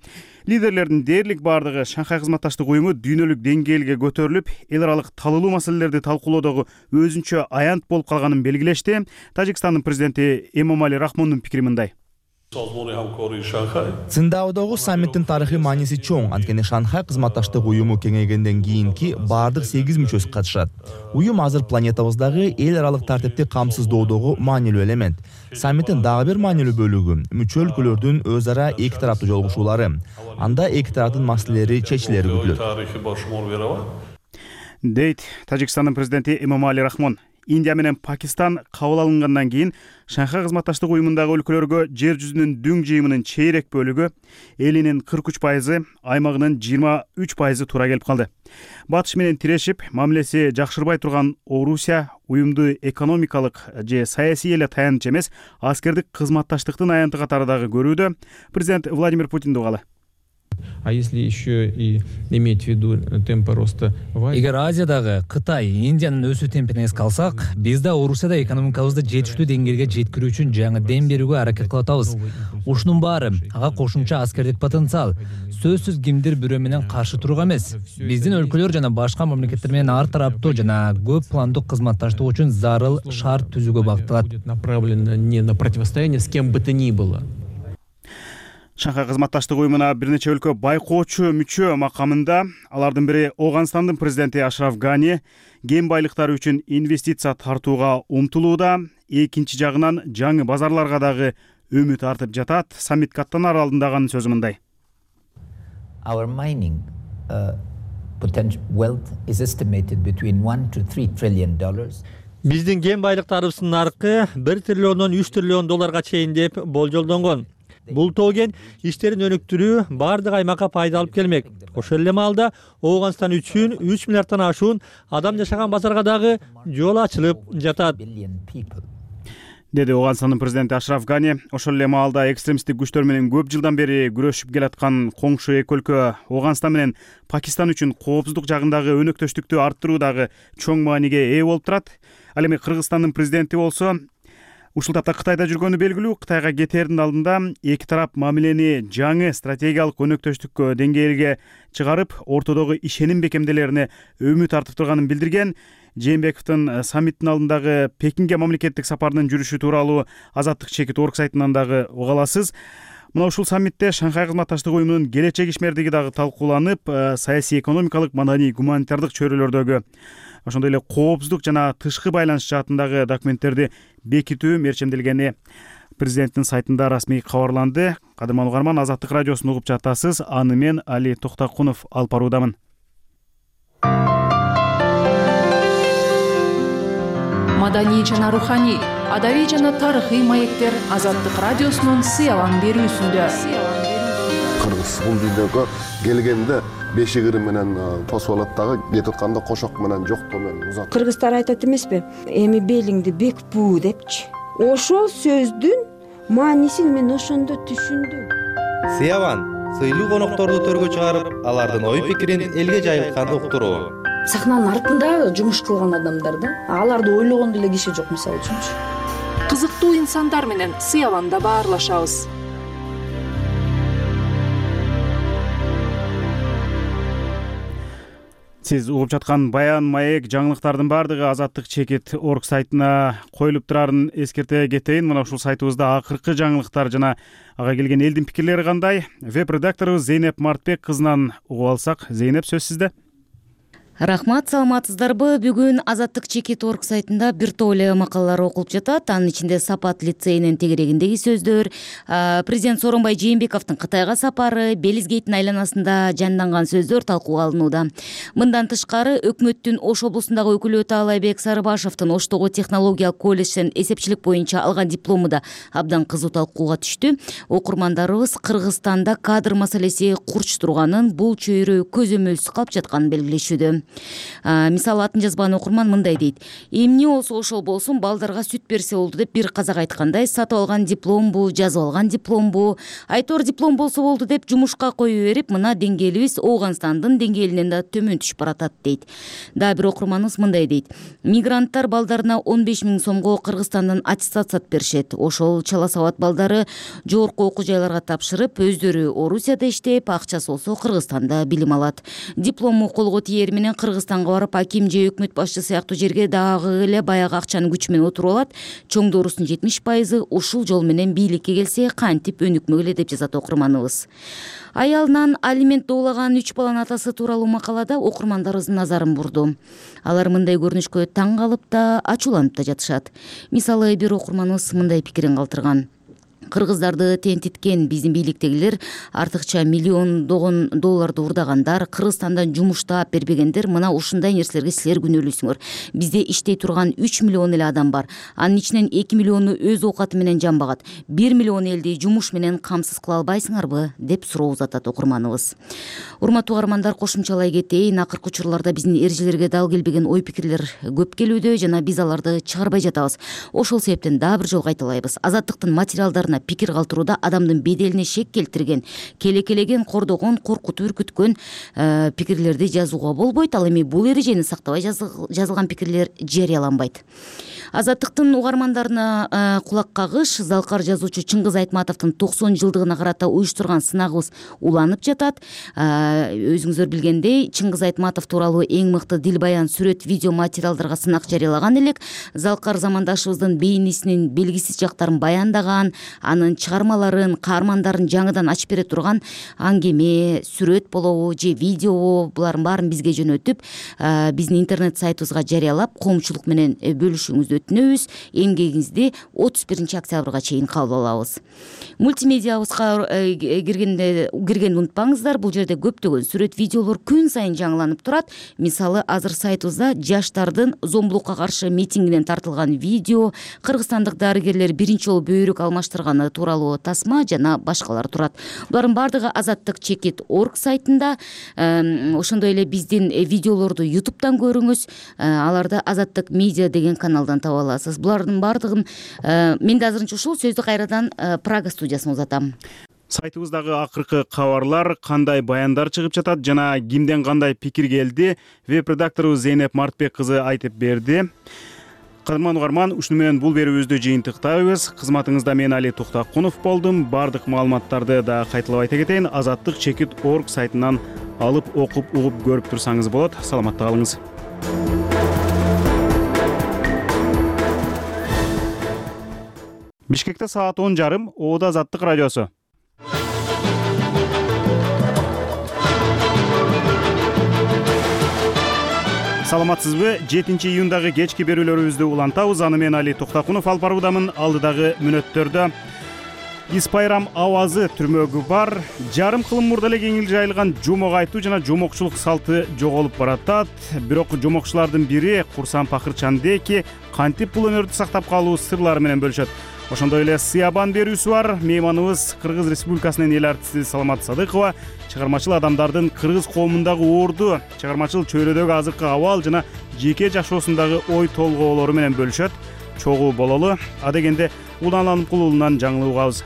Лидерлердин дээрлик бардыгы Шанхай кызматташтык уюму дүйнөлүк деңгээлге көтөрүлүп, эл аралык талылуу маселелерди талкуулоодогу өзүнчө аянт болуп калганын белгилешти. Тажикстандын президенти Эмомали Рахмондун пикири мындай. Циндаодогу саммиттин тарыхый мааниси чоң, анткени Шанхай кызматташтык уюму кеңейгенден кийинки бардык сегиз мүчөсү катышат. Уюм азыр планетабыздагы эл аралык тартипти камсыздоодогу маанилүү элемент. Саммиттин дагы бир маанилүү бөлүгү мүчө өлкөлөрдүн өз ара эки тараптуу жолугушуулары. Анда эки тараптын маселелери чечилери күтүлөт. Дейт Тажикстандын президенти Эмомали Рахмон. Индия менен Пакистан кабыл алынгандан кийин Шанхай кызматташтык уюмундагы өлкөлөргө жер жүзүнүн дүң жыйымынын чейрек бөлүгү, элинин кырк үч пайызы, аймагынын жыйырма үч пайызы туура келип калды. Батыш менен тирешип, мамилеси жакшырбай турган Орусия уюмду экономикалык же саясий эле таяныч эмес, аскердик кызматташтыктын аянты катары дагы көрүүдө. Президент Владимир Путинди угалы. А если еще и иметь в виду темпы роста в Азии? Эгер Азиядагы Кытай, Индиянын өсүү темпине эске алсак, биз да Орусияда экономикабызды жетиштүү деңгээлге жеткирүү үчүн жаңы дем берүүгө аракет кылып атабыз. Ушунун баары ага кошумча аскердик потенциал. Сөзсүз кимдир бирөө менен каршы турууга эмес. Биздин өлкөлөр жана башка мамлекеттер менен ар тараптуу жана көп пландуу кызматташтык үчүн зарыл шарт түзүүгө багытталат. Направлено не на противостояние с кем бы то ни было. Шанхай кызматташтык уюмуна бир нече өлкө байкоочу мүчө макамында. Алардын бири Ооганстандын президенти Ашраф Гани кен байлыктары үчүн инвестиция тартууга умтулууда. Экинчи жагынан жаңы базарларга дагы үмүт артып жатат. Саммитке аттанар алдындагы сөзү мындай. Our mining uh, potential wealth is estimated between one to three trillion dollars. Биздин кен байлыктарыбыздын наркы бир триллиондон үч триллион долларга чейин деп болжолдонгон. Бул тоген иштерин өнүктүрүү баардык аймакка пайда алып келмек. Ошол эле маалда Ооганстан үчүн үч миллиарддан ашуун адам жашаган базарга дагы жол ачылып жатат, деди Ооганстандын президенти Ашраф Гани. Ошол эле маалда экстремисттик күчтөр менен көп жылдан бери күрөшүп келаткан коңшу эки өлкө Ооганстан менен Пакистан үчүн коопсуздук жагындагы өнөктөштүктү арттыруу дагы чоң мааниге ээ болуп турат. Ал эми Кыргызстандын президенти болсо ушул тапта Кытайда жүргөнү белгилүү. Кытайга кетээрдин алдында эки тарап мамилени жаңы стратегиялык өнөктөштүккө деңгээлге чыгарып, ортодогу ишеним бекемделерине үмүт артып турганын билдирген. Жээнбековдун саммиттин алдындагы Пекинге мамлекеттик сапарынын жүрүшү тууралуу Азаттык чекит орг сайтынан дагы уга аласыз. Мына ушул саммитте Шанхай кызматташтык уюмунун келечек ишмердиги дагы талкууланып, саясий, экономикалык, маданий, гуманитардык чөйрөлөрдөгү, ошондой эле коопсуздук жана тышкы байланыш жаатындагы документтерди бекитүү мерчемделгени президенттин сайтында расмий кабарланды. Кадырман угарман, Азаттык радиосун угуп жатасыз. Аны мен Али Токтакунов алып баруудамын. Маданий жана руханий, адабий жана тарыхый маектер Азаттык радиосунун сыялан берүүсүндө. Кыргыз бул дүйнөгө келгенде бешигири менен тосуп алат дагы, кетип атканда кошок менен жоктоо менен узат. Кыргыздар айтат эмеспи? Эми белиңди бек буу депчи. Ошол сөздүн маанисин мен ошондо түшүндүм. Сыяван сыйлуу конокторду төргө чыгарып, алардын ой пикирин элге жайылтканды уктуруу. Сахнанын артында жумуш кылган адамдар да, аларды ойлогон деле киши жок, мисалы үчүнчү. Кызыктуу инсандар менен Сыяванда баарлашабыз. Сиз угуп жаткан баян, маек, жаңылыктардын баардыгы Азаттык чекит орг сайтына коюлуп турарын эскерте кетейин. Мына ушул сайтыбызда акыркы жаңылыктар жана ага келген элдин пикирлери кандай? Веб-редакторубуз Зейнеп Мартбек кызынан угуп алсак. Зейнеп, сөз сизде. Рахмат, саламатсыздарбы? Бүгүн Азаттык чекит орг сайтында бир топ эле макалалар окулуп жатат. Анын ичинде Сапат лицейинин тегерегиндеги сөздөр, президент Сооронбай Жээнбековдун Кытайга сапары, Белизгейттин айланасында жанданган сөздөр талкууга алынууда. Мындан тышкары, өкмөттүн Ош облусундагы өкүлү Таалайбек Сарыбашевдин Оштогу технологиялык колледжден эсепчилик боюнча алган диплому да абдан кызуу талкууга түштү. Окурмандарыбыз Кыргызстанда кадр маселеси курч турганын, бул чөйрө көзөмөлсүз калып жатканын белгилешүүдө. Мисалы, атын жазбаган окурман мындай дейт: эмне болсо ошол болсун, балдарга сүт берсе болду деп бир казак айткандай, сатып алган дипломбу, жазып алган дипломбу, айтор диплом болсо болду деп жумушка кое берип, мына деңгээлибиз Ооганстандын деңгээлинен да төмөн түшүп баратат дейт. Дагы бир окурманыбыз мындай дейт: мигранттар балдарына он беш миң сомго Кыргызстандан аттестат беришет. Ошол чала сабат балдары жогорку окуу жайларга тапшырып, өздөрү Орусияда иштеп, акчасы болсо Кыргызстанда билим алат. Диплому колго тиер менен Кыргызстанга барып, аким же өкмөт башчы сыяктуу жерге дагы эле баягы акчанын күчү менен отуруп алат. Чоңдоорусунун жетимиш пайызы ушул жол менен бийликке келсе кантип өнүкмөк эле, деп жазат окурманыбыз. Аялынан алимент доолаган үч баланын атасы тууралуу макалада окурмандарыбыздын назарын бурду. Алар мындай көрүнүшкө таң калып да, ачууланып да жатышат. Мисалы, бир окурманыбыз мындай пикирин калтырган: кыргыздарды тентиткен биздин бийликтегилер, артыкча миллиондогон долларды урдагандар, Кыргызстандан жумуштап бербегендер, мына ушундай нерселерге силер күнөөлүүсүңөр. Бизде иштей турган үч миллион эле адам бар. Анын ичинен эки миллиону өз оокаты менен жамбагат. бир миллион элди жумуш менен камсыз кыла албайсыңарбы, деп суроо узатат окурманыбыз. Урматтуу угармандар, кошумчалай кетейин. Акыркы учурларда биздин эрежелерге дал келбеген ой пикирлер көп келүүдө жана биз аларды чыгарбай жатабыз. Ошол себептен дагы бир жолу кайталайбыз. Азаттыктын материалдарына пикир калтырууда адамдын беделине шек келтирген, келекелеген, кордогон, коркутуп үркүткөн э, пикирлерди жазууга болбойт. Ал эми бул эрежени сактабай жазылган пикирлер жарыяланбайт. Азаттыктын угармандарына э, кулак кагыш. Залкар жазуучу Чыңгыз Айтматовдун токсон жылдыгына карата уюштурган сынагыбыз уланып жатат. Э, өзүңүздөр билгендей, Чыңгыз Айтматов тууралуу эң мыкты дил баян, сүрөт, видео материалдарга сынак жарыялаган элек. Залкар замандашыбыздын бейнесинин белгисиз жактарын баяндаган, анын чыгармаларын, каармандарын жаңыдан ачып бере турган аңгеме, сүрөт болобу же видео, булардын баарын бизге жөнөтүп, биздин интернет сайтыбызга жарыялап, коомчулук менен бөлүшүүңүздү өтүнөбүз. Эмгегиңизди отуз биринчи октябрга чейин кабыл алабыз. Мультимедиябызга киргенде киргенди унутпаңыздар. Бул жерде көптөгөн сүрөт, видеолор күн сайын жаңыланып турат. Мисалы, азыр сайтыбызда жаштардын зомбулукка каршы митингинен тартылган видео, кыргызстандык дарыгерлер биринчи жолу бөйрөк алмаштырган чыкканы тууралуу тасма жана башкалар турат. Булардын баардыгы азаттык чекит орг сайтында, ошондой эле биздин видеолорду ютубтан көрүңүз, аларды азаттык медиа деген каналдан таба аласыз. Булардын баардыгын мен да азырынча ушул сөздү кайрадан Прага студиясына узатам. Сайтыбыздагы акыркы кабарлар, кандай баяндар чыгып жатат жана кимден кандай пикир келди, веб-редактору Зейнеп Мартбек кызы айтып берди. Кадырман угарман, ушуну менен бул берүүбүздү жыйынтыктайбыз. Кызматыңызда мен Али Туктакунов болдум. Бардык маалыматтарды да кайталап айта кетейин. азаттык чекит орг сайтынан алып, окуп, угуп көрүп турсаңыз болот. Саламатта калыңыз. Бишкекте саат он жарым, Оодо Азаттык радиосу. Саламатсызбы? жетинчи июндагы кечки берүүлөрүбүздү улантабыз. Аны мен Али Туктакунов алып баруудамын. Алдыдагы мүнөттөрдө Ис Пайрам авазы түрмөгү бар. Жарым кылым мурда эле кеңири жайылган жомок айтуу жана жомокчулук салты жоголуп баратат. Бирок жомокчулардын бири Курсан Пакырчандеки кантип бул өнөрдү сактап калуу сырлары менен бөлүшөт. Ошондой эле сыябан берүүсү бар. Мейманыбыз Кыргыз Республикасынын эл артисти Саламат Садыкова чыгармачыл адамдардын кыргыз коомундагы орду, чыгармачыл чөйрөдөгү азыркы абал жана жеке жашоосундагы ой толгоолору менен бөлүшөт. Чогуу бололу. Адегенде Улан Алымкулуулунан жаңылып угабыз.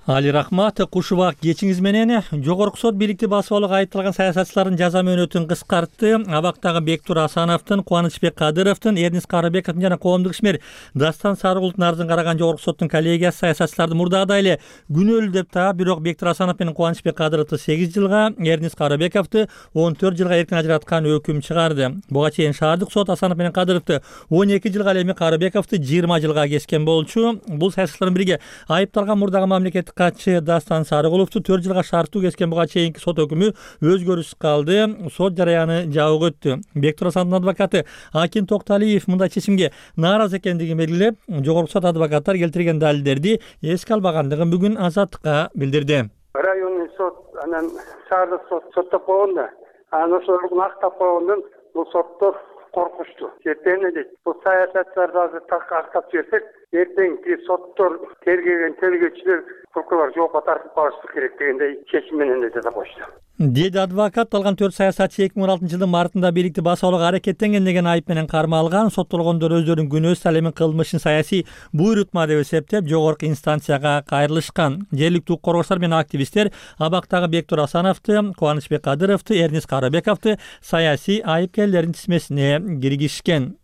Али рахмат, кушубак кечиңиз менен. Жогорку сот бийликти басып алууга айыпталган саясатчылардын жаза мөөнөтүн кыскартты. Абактагы Бектур Асановдун, Кубанычбек Кадыровдун, Эрнис Карабековдун жана коомдук ишмер Дастан Сарыгулдун арызын караган жогорку соттун коллегиясы саясатчыларды мурдагыдай эле күнөөлүү деп таап, бирок Бектур Асанов менен Кубанычбек Кадыровду сегиз жылга, Эрнис Карабековду он төрт жылга эркин ажыраткан өкүм чыгарды. Буга чейин шаардык сот Асанов менен Кадыровду он эки жылга, эми Карабековду жыйырма жылга кескен болчу. Бул саясатчылардын бириге айыпталган мурдагы мамлекеттик катчы Дастан Сарыгуловду төрт жылга шарттуу кескен. Буга чейинки сот өкүмү өзгөрүүсүз калды. Сот жараяны жабык өттү. Бектур Асановдун адвокаты Акин Токталиев мындай чечимге нааразы экендигин белгилеп, жогорку сот адвокаттар келтирген далилдерди эске албагандыгын бүгүн Азаттыкка билдирди. Районный сот анан шаардык сот соттоп койгонда, анан ошолорду актап койгондон бул соттор коркушту. Эртең дейт, бул саясатчыларды азыр так актап жиберсек, эртеңки соттор тергеген тергөөчүлөр прокурор жоопко тартып калышы керек дегендей чечим менен да жаза коюшту. Деди адвокат. Алган төрт саясатчы эки миң он алтынчы жылдын мартында бийликти басып алууга аракеттенген деген айып менен кармалган. Соттолгондор өздөрүнүн күнөөсү ал эми кылмышын саясий буйрутма деп эсептеп, жогорку инстанцияга кайрылышкан. Жергиликтүү укук коргоочулар менен активисттер абактагы Бектур Асановду, Кубанычбек Кадыровду, Эрнис Карабековду саясий айыпкерлердин тизмесине киргизишкен.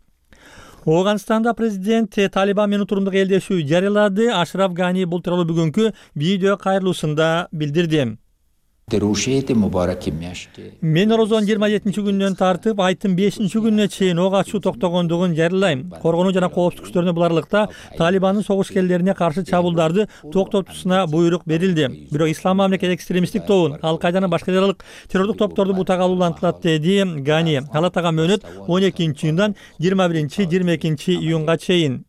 Ооганстанда президент Талибан менен турумдук элдешүү жарыялады. Ашраф Гани бул тууралуу бүгүнкү видео кайрылуусунда билдирди. Мен Орозонун жыйырма жетинчи күнүнөн тартып айттын бешинчи күнүнө чейин ок ачуу токтогондугун жарыялайм. Коргонуу жана коопсуздук күчтөрүнө бул аралыкта Талибандын согушкерлерине каршы чабуулдарды токтотуусуна буйрук берилди. Бирок Ислам мамлекет экстремисттик тобун, Ал-Кайданын башка жаралык террордук топторду бутага улантылат деди Гани. Ал атаган мөөнөт он экинчи июндан жыйырма биринчи жыйырма экинчи июнга чейин.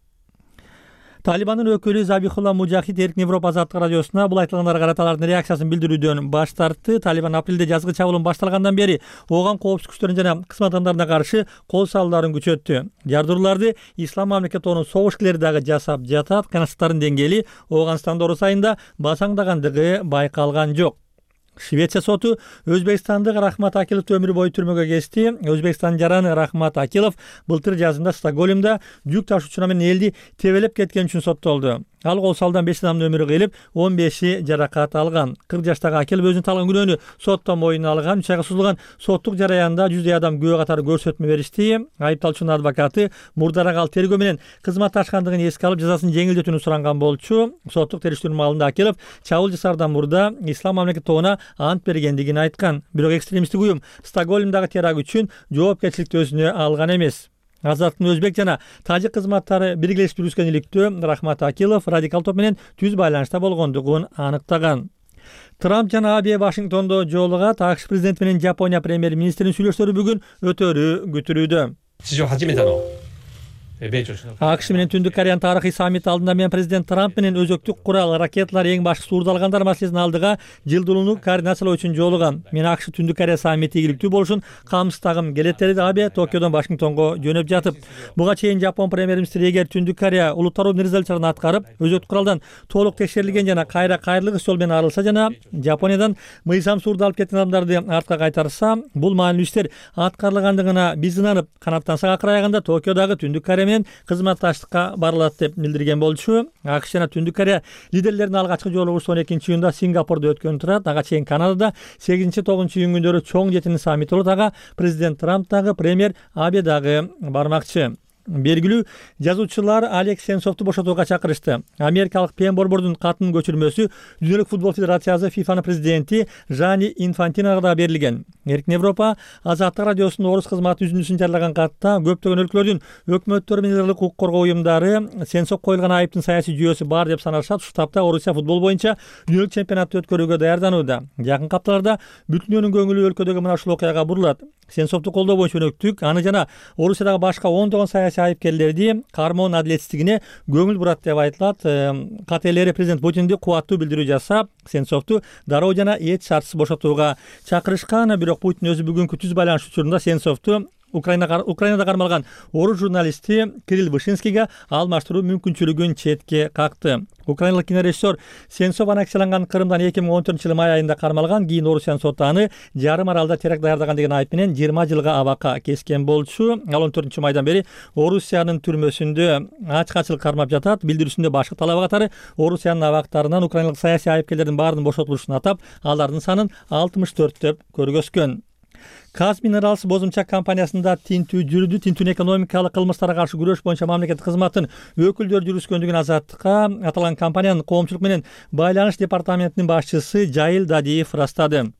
Талибандын өкүлү Забихулла Мужахид Эркин Европа Азаттык радиосуна бул айтылгандарга карата алардын реакциясын билдирүүдөн баш тартты. Талибан апрелде жазгы чабуулун башталгандан бери ооган коопсуздук күчтөрүнө жана кызмат адамдарына каршы кол салууларын күчөттү. Жардырууларды Ислам мамлекет тобунун согушкерлери дагы жасап жатат. Кыянаттардын деңгээли Ооганстанда орус айында басаңдагандыгы байкалган жок. Швеция соту Өзбекстандык Рахмат Акиловду өмүр бою түрмөгө кести. Өзбекстандын жараны Рахмат Акилов былтыр жазында Стокгольмдо жүк ташуучу менен элди тебелеп кеткен үчүн соттолду. Ал кол салдан беш адамдын өмүрү кыйылып, он беши жаракат алган. кырк жаштагы Акилов өзүнүн талган күнөөнү сотто мойнуна алган. үч айга созулган соттук жараянда жүздөй адам күбө катары көрсөтмө беришти. Айыпталуучунун адвокаты мурдараак ал тергөө менен кызматташкандыгын эске алып, жазасын жеңилдетүүнү суранган болчу. Соттук териштирүүнүн маалында Акилов чабуул жасаардан мурда Ислам мамлекет тобуна ант бергендигин айткан. Бирок экстремисттик уюм Стокгольмдагы теракт үчүн жоопкерчиликти өзүнө алган эмес. Азаттын өзбек жана тажик кызматтары биргелешип жүргүзгөн иликтөө Рахмат Акилов радикал топ менен түз байланышта болгондугун аныктаган. Трамп жана Абе Вашингтондо жолугат. АКШ президенти менен Жапония премьер-министринин сүйлөшүүлөрү бүгүн өтөрү күтүлүүдө. акш менен Түндүк Кореянын тарыхый саммити алдында мен президент Трамп менен өзөктүк курал, ракеталар, эң башкысы уурдалгандар маселесин алдыга жылдуулууну координациялоо үчүн жолугам. Мен акш Түндүк Корея саммити ийгиликтүү болушун камсыздагым келет деди Абе Токиодон Вашингтонго жөнөп жатып. Буга чейин Жапон премьер-министри эгер Түндүк Корея улуттаруу резолюцияларын аткарып, өзөктүк куралдан толук текшерилген жана кайра кайрылык жол менен арылса жана Жапониядан мыйзам сурду алып кеткен адамдарды артка кайтарса, бул маанилүү иштер аткарылгандыгына биз ынанып, канаттансак акыр аягында Токиодагы Түндүк Корея менен кызматташтыкка барылат деп билдирген болчу. акш жана Түндүк Корея лидерлеринин алгачкы жолугушуу он экинчи июнда Сингапурда өткөн турат. Ага чейин Канадада сегизинчи тогузунчу июнь күндөрү чоң жетинин саммити болот. Ага президент Трамп дагы, премьер Абе дагы бармакчы. Белгилүү жазуучулар Алекс Сенцовду бошотууга чакырышты. Америкалык Пен Борбордун катынын көчүрмөсү Дүйнөлүк футбол федерациясы фифанын президенти Жани Инфантиноға да берилген. Эркин Европа Азаттык радиосунун орус кызматы үзүндүсүн жарыяган катта көптөгөн өлкөлөрдүн өкмөттөрү менен ылдык укук коргоо уюмдары Сенцов коюлган айыптын саясий жүйөсү бар деп санашат. Ушул тапта Орусия футбол боюнча дүйнөлүк чемпионатты өткөрүүгө даярданууда. Жакын апталарда бүт дүйнөнүн көңүлү өлкөдөгү мына ушул окуяга бурулат. Сенцовду колдоо боюнча өнөктүк, аны жана Орусиядагы башка ондогон саясий айыпкерлерди кармоонун адилетсиздигине көңүл бурат деп айтылат. КТЛР президент Путинди кубаттуу билдирүү жасап, Сенцовду дароо жана эч шартсыз бошотууга чакырышкан. Бирок Путин өзү бүгүнкү түз байланыш учурунда Сенцовду Украина Украинада кармалган орус журналисти Кирилл Вышинскийге алмаштыруу мүмкүнчүлүгүн четке какты. Украиналык кинорежиссер Сенцов аннексияланган Крымдан эки миң он төртүнчү жылы май айында кармалган. Кийин Орусиянын соты аны жарым аралда теракт даярдаган деген айып менен жыйырма жылга абакка кескен болчу. Ал он төртүнчү майдан бери Орусиянын түрмөсүндө ачкачылык кармап жатат. Билдирүүсүндө башкы талабы катары Орусиянын абактарынан украиналык саясий айыпкерлердин баарынын бошотулушун атап, алардын санын алтымыш төрт деп көргөзгөн. Казминералс бозумчак компаниясында тинтүү жүрдү. Тинтүүнүн экономикалык кылмыштарга каршы күрөш боюнча мамлекеттик кызматтын өкүлдөрү жүргүзгөндүгүн Азаттыкка аталган компаниянын коомчулук менен байланыш департаментинин башчысы Жайыл Дадиев ырастады.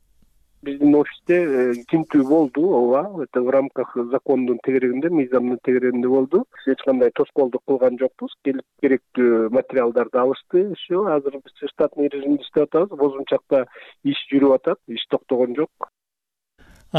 Биздин офисте тинтүү болду, ооба, это в рамках закондун тегерегинде, мыйзамдын тегерегинде болду. Эч кандай тоскоолдук кылган жокпуз. Келип керектүү материалдарды алышты. Все, азыр биз штатный режимде иштеп атабыз. Бозумчакта иш жүрүп атат, иш токтогон жок.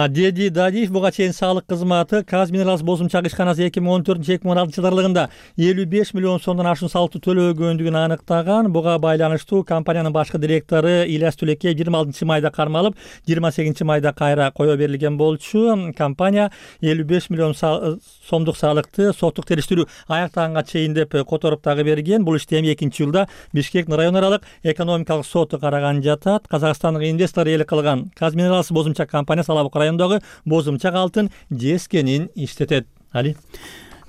Деди Дадиев буга чейин салык кызматы Казминералс бозумчак ишканасы эки миң он төртүнчү эки миң он алтынчы аралыгында элүү беш миллион сомдон ашуун салыкты төлөгөндүгүн аныктаган. Буга байланыштуу компаниянын башкы директору Ильяс Түлекеев жыйырма алтынчы майда кармалып, жыйырма сегизинчи майда кайра кое берилген болчу. Компания элүү беш миллион сомдук салыкты соттук териштирүү аяктаганга чейин деп которуп дагы берген. Бул ишти эми экинчи жылда Бишкек район аралык экономикалык соту караган жатат. Казакстандык инвестор ээлик кылган Казминералс бозумчак компаниясы Алабук районундагы бозумчак алтын жескенин иштетет. Али.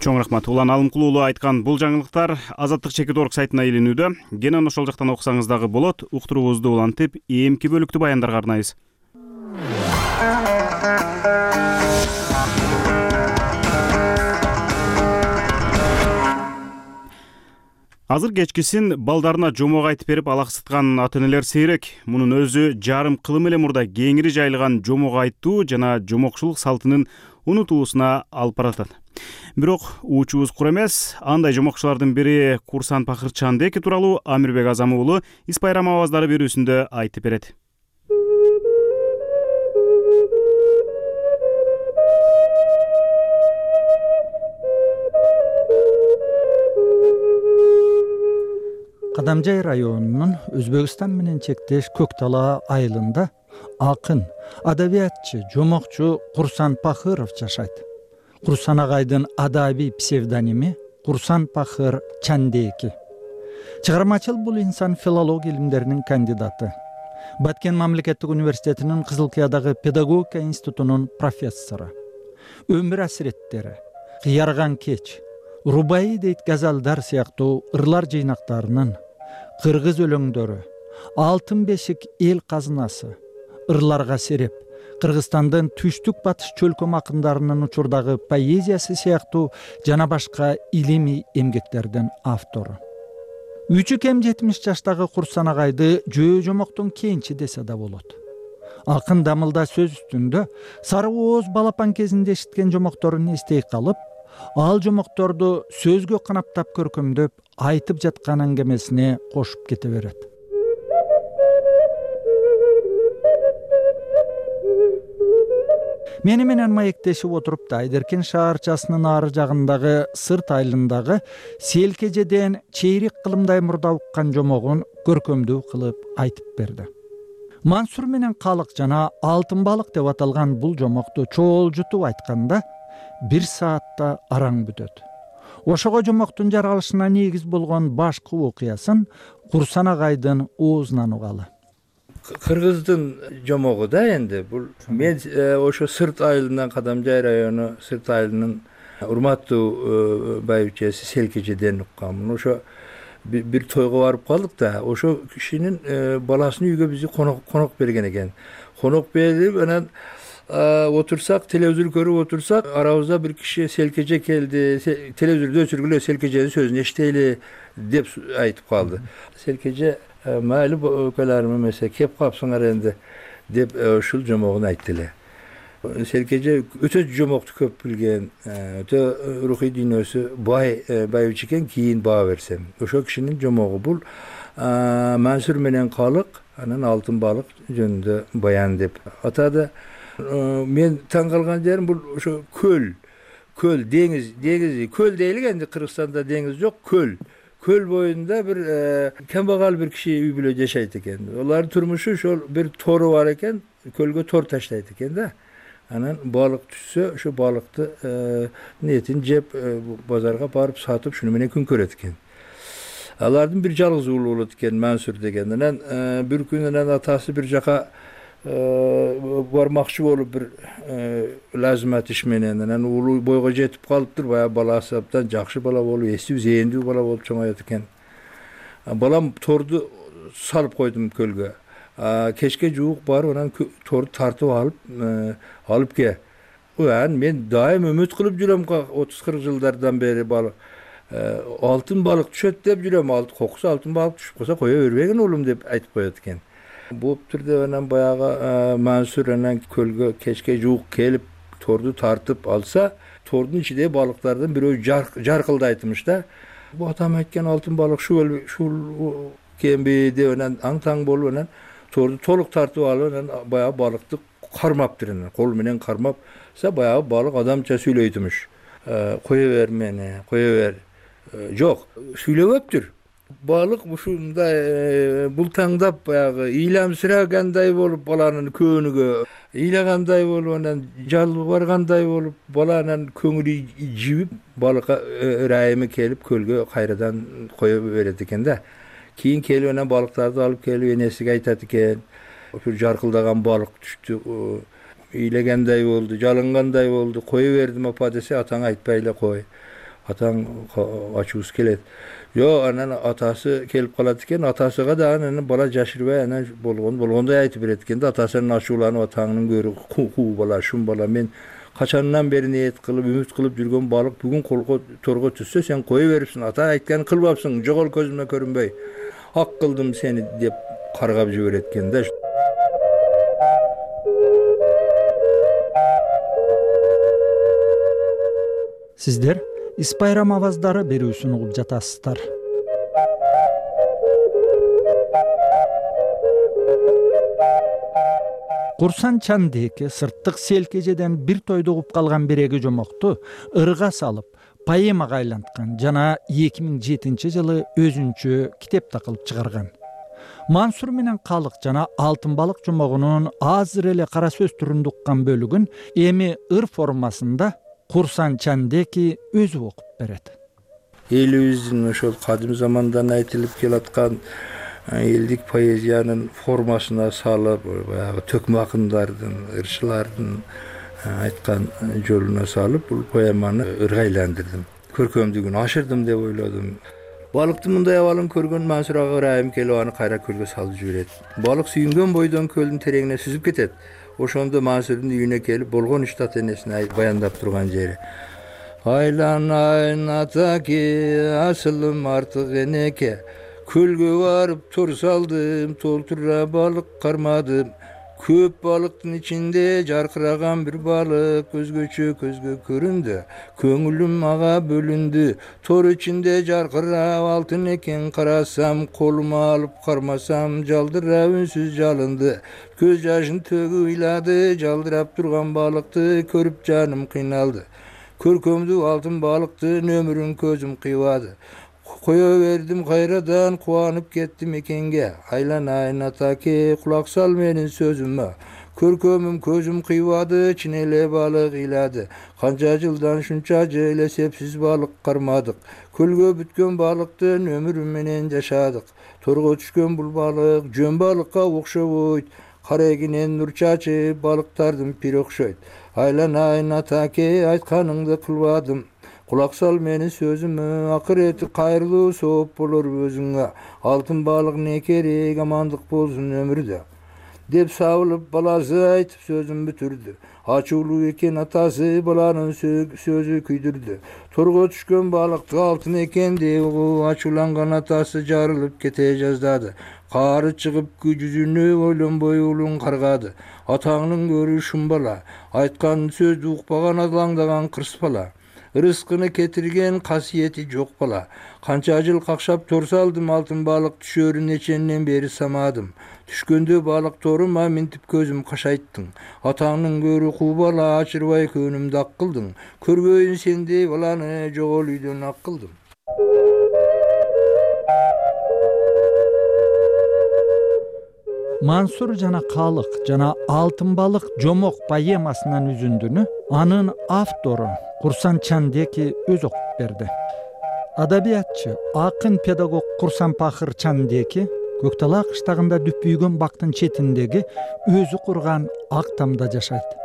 Чоң рахмат. Улан Алымкулуулу айткан бул жаңылыктар Азаттык чекит орг сайтына илинүүдө. Генен ошол жактан окусаңыз дагы болот. Уктуруубузду улантып, эмки бөлүктүү баяндарга арнайбыз. Азыр кечкисин балдарына жомок айтып берип алаксыткан ата-энелер сейрек. Мунун өзү жарым кылым эле мурда кеңири жайылган жомок айтуу жана жомокчулук салтынын унутуусуна алып баратат. Бирок уучубуз кур эмес. Андай жомокчулардын бири Курсан Пахыр Чандеки тууралуу Амирбек Азамы уулу Ис Байрам аваздары берүүсүндө айтып берет. Кадамжай районунун Өзбекстан менен чектеш Көктала айылында акын, адабиятчы, жомокчу Курсан Пахыров жашайт. Курсан агайдын адабий псевдоними Курсан Пахыр Чандеки. Чыгармачыл бул инсан филология илимдеринин кандидаты. Баткен мамлекеттик университетинин Кызылкиядагы педагогика институтунун профессору. Өмүр асиреттери, Кыярган кеч, Рубаи дейт газалдар сыяктуу ырлар жыйнактарынын, кыргыз өлөңдөрү, Алтын бешик эл казынасы, ырларга сереп, Кыргызстандын түштүк батыш чөлкөм акындарынын учурдагы поэзиясы сыяктуу жана башка илимий эмгектердин автору. Үчү кем жетимиш жаштагы Курсан агайды жөө жомоктун кенчи десе да болот. Акын дамылда сөз үстүндө Сары Ооз балапан кезинде эшиткен жомокторун эстей калып, ал жомокторду сөзгө канаптап көркөмдөп айтып жаткан аңгемесине кошуп кете берет. мени менен маектешип отуруп да Айдеркен шаарчасынын ары жагындагы Сырт айылындагы селкежеден чейрек кылымдай мурда уккан жомогун көркөмдүү кылып айтып берди. Мансур менен калык жана алтын балык деп аталган бул жомокту чоолжутуп айтканда бир саатта араң бүтөт. Ошого жомоктун жаралышына негиз болгон башкы окуясын Курсан агайдын оозунан угалы. Кыргыздын жомогу да энди бул мен ошо Сырт айылынан Кадамжай району Сырт айылынын урматтуу байбичеси Селкежеден укканмын. Ошо бир тойго барып калдык да, ошо кишинин баласын үйгө бизди конок конок берген экен. Конок берип анан отурсак, телевизор көрүп отурсак, арабызда бир киши Селкеже келди, телевизорду өчүргүлө, Селкеженин сөзүн эчтейли деп айтып калды. Селкеже майли өкөлөрүм эмесе кеп капсыңар энди деп ушул жомогун айтты эле. Селкеже өтө жомокту көп билген, өтө рухий дүйнөсү бай байбиче экен, кийин баа берсем. Ошол кишинин жомогу бул Мансур менен калык, анан алтын балык жөнүндө баян деп атады. Мен таң калган жерим бул ошо көл, көл, деңиз, деңиз, көл дейлик энди Кыргызстанда деңиз жок, көл. Көл боюнда бир камбагал бир киши үй бүлө жашайт экен. Алардын турмушу ошол бир тору бар экен, көлгө тор таштайт экен да. Анан балык түшсө, ошо балыкты этин жеп базарга барып сатып, шуну менен күн көрөт экен. Алардын бир жалгыз уулу болот экен, Мансур деген. Анан бир күнү анан атасы бир жака бармакчы болуп бир лазимат иш менен, анан уулу бойго жетип калыптыр, баягы баласы абдан жакшы бала болуп, эстүү, зээндүү бала болуп чоңоет экен. Балам торду салып койдум көлгө. Кечке жуук барып, анан торду тартып алып, алып ке. Анан мен дайым үмүт кылып жүрөм, отуз кырк жылдардан бери балык. Алтын балык түшөт деп жүрөм, кокусу алтын балык түшүп калса кое бербегин уулум деп айтып коет экен. Болуптур деп анан баягы Мансур анан көлгө кечке жуук келип торду тартып алса, тордун ичиндеги балыктардын бирөө жаркылдайтмыш да. Бу атам айткан алтын балык ушул ушул кемби деп анан аң-таң болуп анан торду толук тартып алып анан баягы балыкты кармаптыр, анан кол менен кармапса баягы балык адамча сүйлөйтмүш. Кое бер мени, кое бер. Жок, сүйлөбөптүр. Балык ушундай бултаңдап баягы ыйламсырагандай болуп баланын көөнүгө ыйлагандай болуп анан жалбаргандай болуп баланын көңүлү жибип балыкка ырайымы келип көлгө кайрадан кое берет экен да. Кийин келип анан балыктарды алып келип энесиге айтат экен. Ошо жаркылдаган балык түштү, ыйлагандай болду, жалынгандай болду, кое бердим апа десе, атаң айтпай эле кой. Атаң ачуусу келет. Жок, анан атасы келип калат экен, атасыга да анан бала жашырбай анан болгон болгондой айтып берет экен да, атасынын ачууланып атаңнын көрү куу бала, шум бала, мен качандан бери ниет кылып, үмүт кылып жүргөн балык бүгүн колго торго түшсө сен кое берипсиң, ата айтканын кылбапсың, жогол көзүмө көрүнбөй. Ак кылдым сени деп каргап жиберет экен да. Сиздер Ис байрам аваздары берүүсүн угуп жатасыздар. Курсан Чандеке сырттык Селкежеден бир тойду угуп калган биреги жомокту ырга салып, поэмага айланткан жана эки миң жетинчи жылы өзүнчө китепте кылып чыгарган. Мансур менен калык жана алтын балык жомогунун азыр эле кара сөз түрүндө уккан бөлүгүн эми ыр формасында Курсан Чандеки өзү окуп берет. Элибиздин ошол кадим замандан айтылып келаткан элдик поэзиянын формасына салып, баягы төкмө акындардын, ырчылардын айткан жолуна салып, бул поэманы ырга айландырдым. Көркөмдүгүн ашырдым деп ойлодум. Балыктын мындай абалын көргөн Мансур ага ырайым келип аны кайра көлгө салып жиберет. Балык сүйүнгөн бойдон көлдүн тереңине сүзүп кетет. Ошондо Мансурдун үйүнө келип болгон ишти ата энесине баяндап турган жери. Айланайын атаке, асылым артык энеке, көлгө барып тор салдым, толтура балык кармадым, Көп балыктын ичинде жаркыраган бир балык өзгөчө көзгө көрүндү. Көңүлүм ага бөлүндү. Тор ичинде жаркырап алтын экен карасам, колума алып кармасам, жалдырап үнсүз жалынды. Көз жашын төгүп ыйлады, жалдырап турган балыкты көрүп жаным кыйналды. Көркөмдүү алтын балыктын өмүрүн көзүм кыйбады. Кое бердим кайрадан, кубанып кеттим экенге. Айланайын атаке, кулак сал менин сөзүмө. Көркөмүм көзүм кыйбады, чын эле балык ыйлады. Канча жылдан шунча жыл эсепсиз балык кармадык. Көлгө бүткөн балыктын өмүрү менен жашадык. Торго түшкөн бул балык жөн балыкка окшобойт. Карегинен нур чачып, балыктардын пири окшойт. Айланайын атаке, айтканыңды кылбадым. Кулак сал менин сөзүмө, акырети кайрылуу сооп болор өзүңө. Алтын балыктын экери амандык болсун өмүрдө. Деп сабылып баласы айтып сөзүн бүтүрдү. Ачуулуу экен атасы, баланын сөзү күйдүрдү. Торго түшкөн балыкты алтын экен деп угуп, ачууланган атасы жарылып кете жаздады. Каары чыгып жүзүнө ойлонбой улун каргады. Атаңдын көрү шум бала, айткан сөздү укпаган алаңдаган кырс бала. Рызкыны кетирген касиети жок бала. Канча жыл какшап тор салдым, алтын балык түшөрүн эченден бери самадым. Түшкөндө балык торума минтип көзүм кашайттың. Атаңдын көрү куу бала, ачырбай көнүмдү ак кылдың. Көрбөйүн сендей баланы, жогол үйдөн ак кылдым. Мансур жана Калык жана Алтын балык жомок поэмасынын үзүндүнү анын автору Курсан Чандеки өзү окуп берди. Адабиятчы, акын, педагог Курсан Пахыр Чандеки Көктала кыштагында дүпүйгөн бактын четиндеги өзү курган ак тамда жашайт.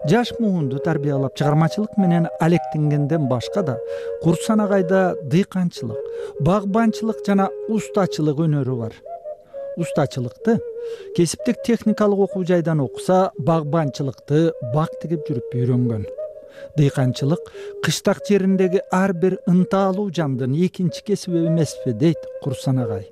Жаш муунду тарбиялап чыгармачылык менен алектенгенден башка да Курсан агайда дыйканчылык, багбанчылык жана устачылык өнөрү бар. Устачылыкты кесиптик техникалык окуу жайдан окуса, багбанчылыкты бак тигип жүрүп үйрөнгөн. Дыйканчылык кыштак жериндеги ар бир ынтаалуу жандын экинчи кесиби эмеспи дейт Курсан агай.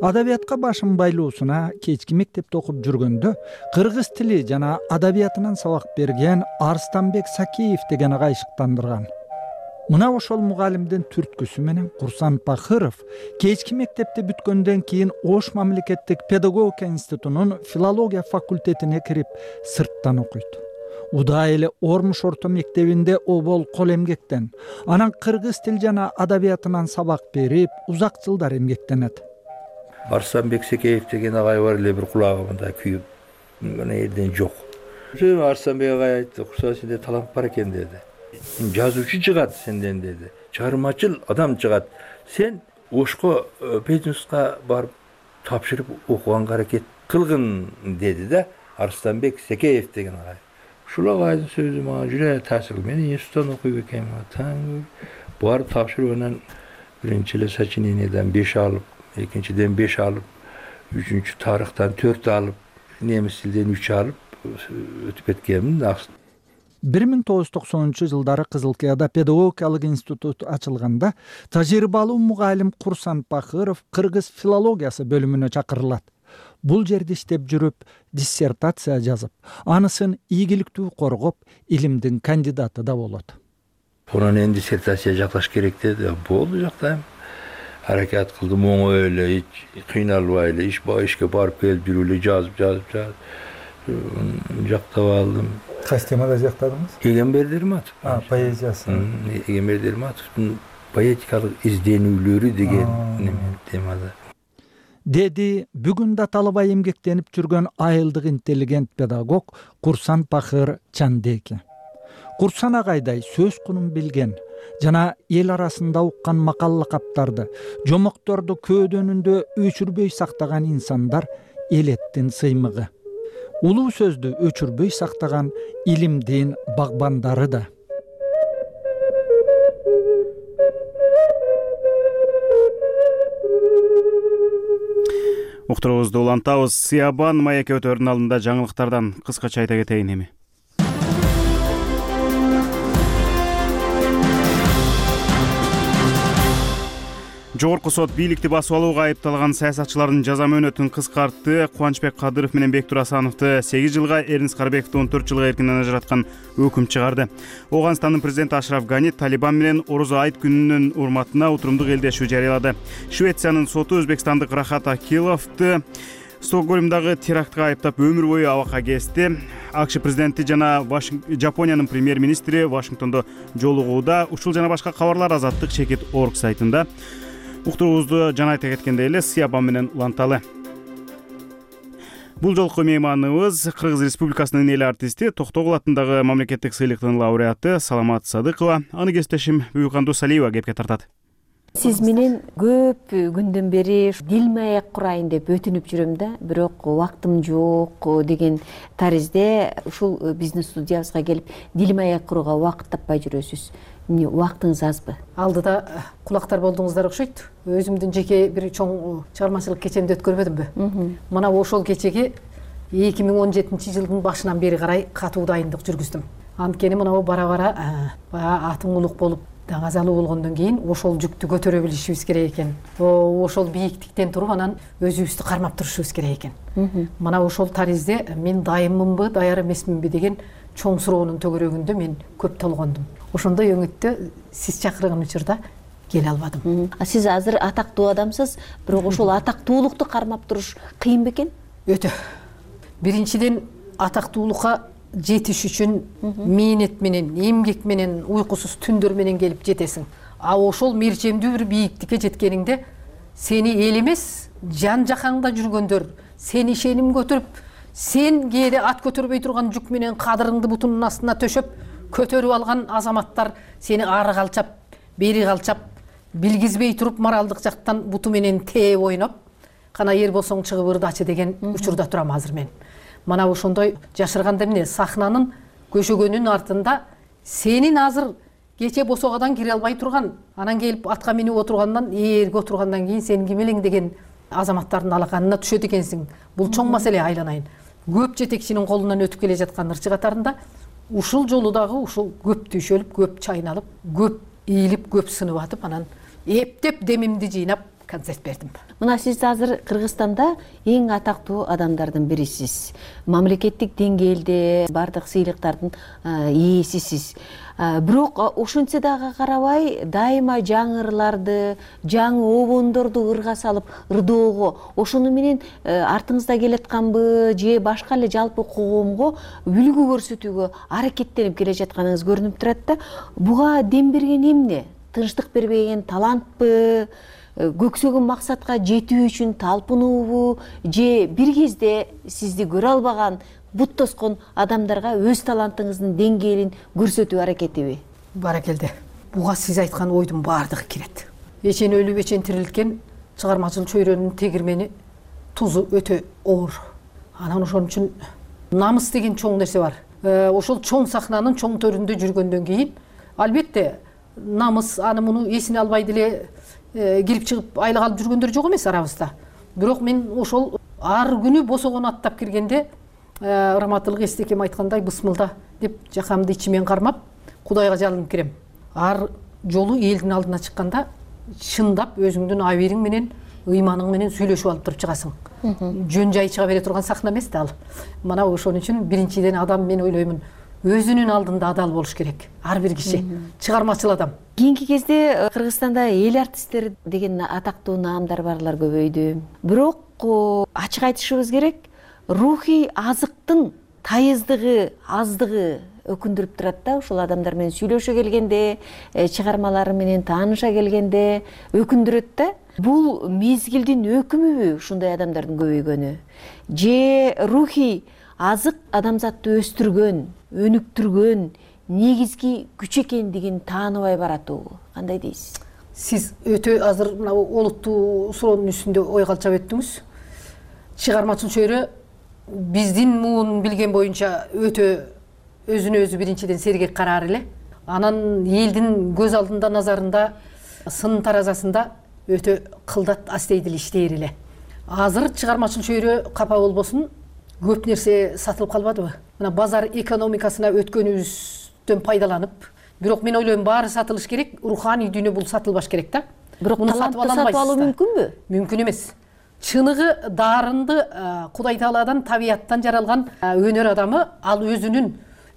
Адабиятка башын байлоосуна кечки мектепте окуп жүргөндө кыргыз тили жана адабиятынан сабак берген Арстанбек Сакеев деген агай шыктандырган. Мына ошол мугалимдин түрткүсү менен Курсан Пахыров кечки мектепти бүткөндөн кийин Ош мамлекеттик педагогика институтунун филология факультетине кирип, сырттан окуйт. Удай эле Ормуш орто мектебинде обол кол эмгектен, анан кыргыз тил жана адабиятынан сабак берип, узак жылдар эмгектенет. Арстанбек Сакеев деген агай бар эле, бир кулагымда күйүп, мына жерден жок. Арстанбек агай айтты, Курсан сенде талант бар экен деди. Жазуучу чыгат сенден деди. Чыгармачыл адам чыгат. Сен Ошко Петинска барып тапшырып окуганга аракет кылгын деди да Арстанбек Сакеев деген агай. Ушул агайдын сөзү мага жүрө таасир кылды. Мен институттан окуйт экенмин. Таң барып тапшырып, анан биринчи эле сочиненияден беш алып, экинчиден беш алып, үчүнчү тарыхтан төрт алып, немис тилден үч алып өтүп кеткенмин. бир миң тогуз жүз токсонунчу жылдары Кызылкыяда педагогикалык институт ачылганда тажрыйбалуу мугалим Курсан Пахыров кыргыз филологиясы бөлүмүнө чакырылат. Бул жерде иштеп жүрүп, диссертация жазып, анысын ийгиликтүү коргоп, илимдин кандидаты да болот. Онан эми диссертация жакташ керек деди. Болду, жактайм. Аракет кылдым, оңой эле, кыйналбай эле, иш ба ишке барып келип жүрүп эле жазып, жазып, жазып жактап алдым. Кайсы темада жактадыңыз? Эгембер Дерматов. А, поэзиясы. Эгембер Дерматовдун поэтикалык изденүүлөрү деген темада. Деди бүгүн да талабай эмгектенип жүргөн айылдык интеллигент педагог Курсан Пахыр Чандеки. Курсан агайдай сөз кунун билген жана эл арасында уккан макал лакаптарды, жомокторду көөдөнүндө өчүрбөй сактаган инсандар элеттин сыймыгы. Улуу сөздү өчүрбөй сактаган илимдин багбандары да. Уктуруубузду улантабыз. Сиябан маек өтөрүнүн алдында жаңылыктардан кыскача айта кетейин эми. Жогорку сот бийликти басып алууга айыпталган саясатчылардын жаза мөөнөтүн кыскартты. Кубанычбек Кадыров менен Бектур Асановду сегиз жылга, Эрнис Карбековду он төрт жылга эркинен ажыраткан өкүм чыгарды. Ооганстандын президенти Ашраф Гани Талибан менен Орозо айт күнүнүн урматына утурумдук элдешүү жарыялады. Швециянын соту өзбекстандык Рахат Акиловду Стокгольмдагы терактка айыптап өмүр бою абакка кести. АКШ президенти жана Жапониянын премьер-министри Вашингтондо жолугууда. Ушул жана башка кабарлар Азаттык чекит орг сайтында. Уктуруубузду жана айта кеткендей эле Сыябан менен уланталы. Бул жолку мейманыбыз Кыргыз Республикасынын эл артисти, Токтогул атындагы мамлекеттик сыйлыктын лауреаты Саламат Садыкова. Аны кесиптешим Буюкан Досалиева кепке тартат. Сиз менен көп күндөн бери дилмаек курайын деп өтүнүп жүрөм да, бирок убактым жок деген таризде ушул биздин студиябызга келип дилмаек курууга убакыт таппай жүрөсүз. Эмне убактыңыз азбы? Алдыда кулактар болдуңуздар окшойт. Өзүмдүн жеке бир чоң чыгармачылык кечемди өткөрбөдүмбү? Мына ошол кечеге эки миң он жетинчи жылдын башынан бери карай катуу дайындык жүргүздүм. Анткени мына бара-бара баягы атың улук болуп даңазалуу болгондон кийин ошол жүктү көтөрө билишибиз керек экен. Ошол бийиктиктен туруп анан өзүбүздү кармап турушубуз керек экен. Мына ошол таризде мен дайыммынбы, даяр эмесминби деген чоң суроонун төгөрөгүндө мен көп толгондум. Ошондой өңүттө сиз чакырган учурда келе албадым. А сиз азыр атактуу адамсыз, бирок ошол атактуулукту кармап туруш кыйын бекен? Өтө. Биринчиден атактуулукка жетиш үчүн мээнет менен, эмгек менен, уйкусуз түндөр менен келип жетесиң. А ошол мерчемдүү бир бийиктикке жеткениңде сени эл эмес, жан жакаңда жүргөндөр сени ишеним көтөрүп, сен кээде ат көтөрбөй турган жүк менен кадырыңды бутунун астына төшөп көтөрүп алган азаматтар сени ары калчап, бери калчап, билгизбей туруп моралдык жактан буту менен тээп ойноп, кана эр болсоң чыгып ырдачы деген учурда турам азыр мен. Мана ошондой жашырганда эмне сахнанын көшөгөнүн артында сенин азыр кече босогадан кире албай турган, анан келип атка минип отургандан, ээрге отургандан кийин сен ким элең деген азаматтардын алаканына түшөт экенсиң. Бул чоң маселе, айланайын. Көп жетекчинин колунан өтүп келе жаткан ырчы катарында ушул жолу дагы ушул көп түйшөлүп, көп чайналып, көп ийилип, көп сынып атып, анан эптеп демимди жыйнап концерт бердим. Мына сиз азыр Кыргызстанда эң атактуу адамдардын бирисиз. Мамлекеттик деңгээлде бардык сыйлыктардын ээсисиз. Бирок ошентсе дагы карабай, дайыма жаңы ырларды, жаңы обондорду ырга салып ырдоого, ошону менен артыңызда келатканбы, же башка эле жалпы коомго үлгү көрсөтүүгө аракеттенип келе жатканыңыз көрүнүп турат да. Буга дем берген эмне? Тынчтык бербеген талантпы? Көксөгөн максатка жетүү үчүн талпынуубу, же бир кезде сизди көрө албаган, бут тоскон адамдарга өз талантыңыздын деңгээлин көрсөтүү аракетиби? Баракелде. Буга сиз айткан ойдун баардыгы кирет. Эчен өлүп, эчен тирилткен чыгармачыл чөйрөнүн тегирмени тузу өтө оор. Анан ошон үчүн намыс деген чоң нерсе бар. Ошол чоң сахнанын чоң төрүндө жүргөндөн кийин, албетте, намыс аны муну эсине албай деле кирип чыгып айлык алып жүргөндөр жок эмес арабызда. Бирок мен ошол ар күнү босогон аттап киргенде Ырматылык Эстекем айткандай бысмылда деп жакамды ичимен кармап, Кудайга жалынып кирем. Ар жолу элдин алдына чыкканда чындап өзүңдүн абийириң менен, ыйманың менен сүйлөшүп алып туруп чыгасың. Жөн жай чыга бере турган сахна эмес да ал. Мана ошон үчүн биринчиден адам мен ойлоймун өзүнүн алдында адал болуш керек. Ар бир киши чыгармачыл адам. Кийинки кезде Кыргызстанда эл артисттери деген атактуу наамдар барлар көбөйдү. Бирок ачык айтышыбыз керек, рухий азыктын тайыздыгы, аздыгы өкүндүрүп турат да. Ушул адамдар менен сүйлөшө келгенде, чыгармалары менен тааныша келгенде өкүндүрөт да. Бул мезгилдин өкүмүбү ушундай адамдардын көбөйгөнү? Же рухий азык адамзатты өстүргөн, өнүктүргөн негизги күч экендигин тааныбай баратуу? Кандай дейсиз? Сиз өтө азыр мына олуттуу суроонун үстүндө ой калчап өттүңүз. Чыгармачыл чөйрө биздин муун билген боюнча өтө өзүнө өзү биринчиден сергек караар эле. Анан элдин көз алдында, назарында, сын таразасында өтө кылдат астейдил иштейр эле. Азыр чыгармачыл чөйрө капа болбосун, көп нерсе сатылып калбадыбы? Мына базар экономикасына өткөнүбүздөн пайдаланып, бирок мен ойлойм баары сатылыш керек, руханий дүйнө бул сатылбаш керек да. бирок муну сатып алуу мүмкүнбү? Мүмкүн эмес. Чыныгы дарынды Кудай Тааладан, табияттан жаралган өнөр адамы ал өзүнүн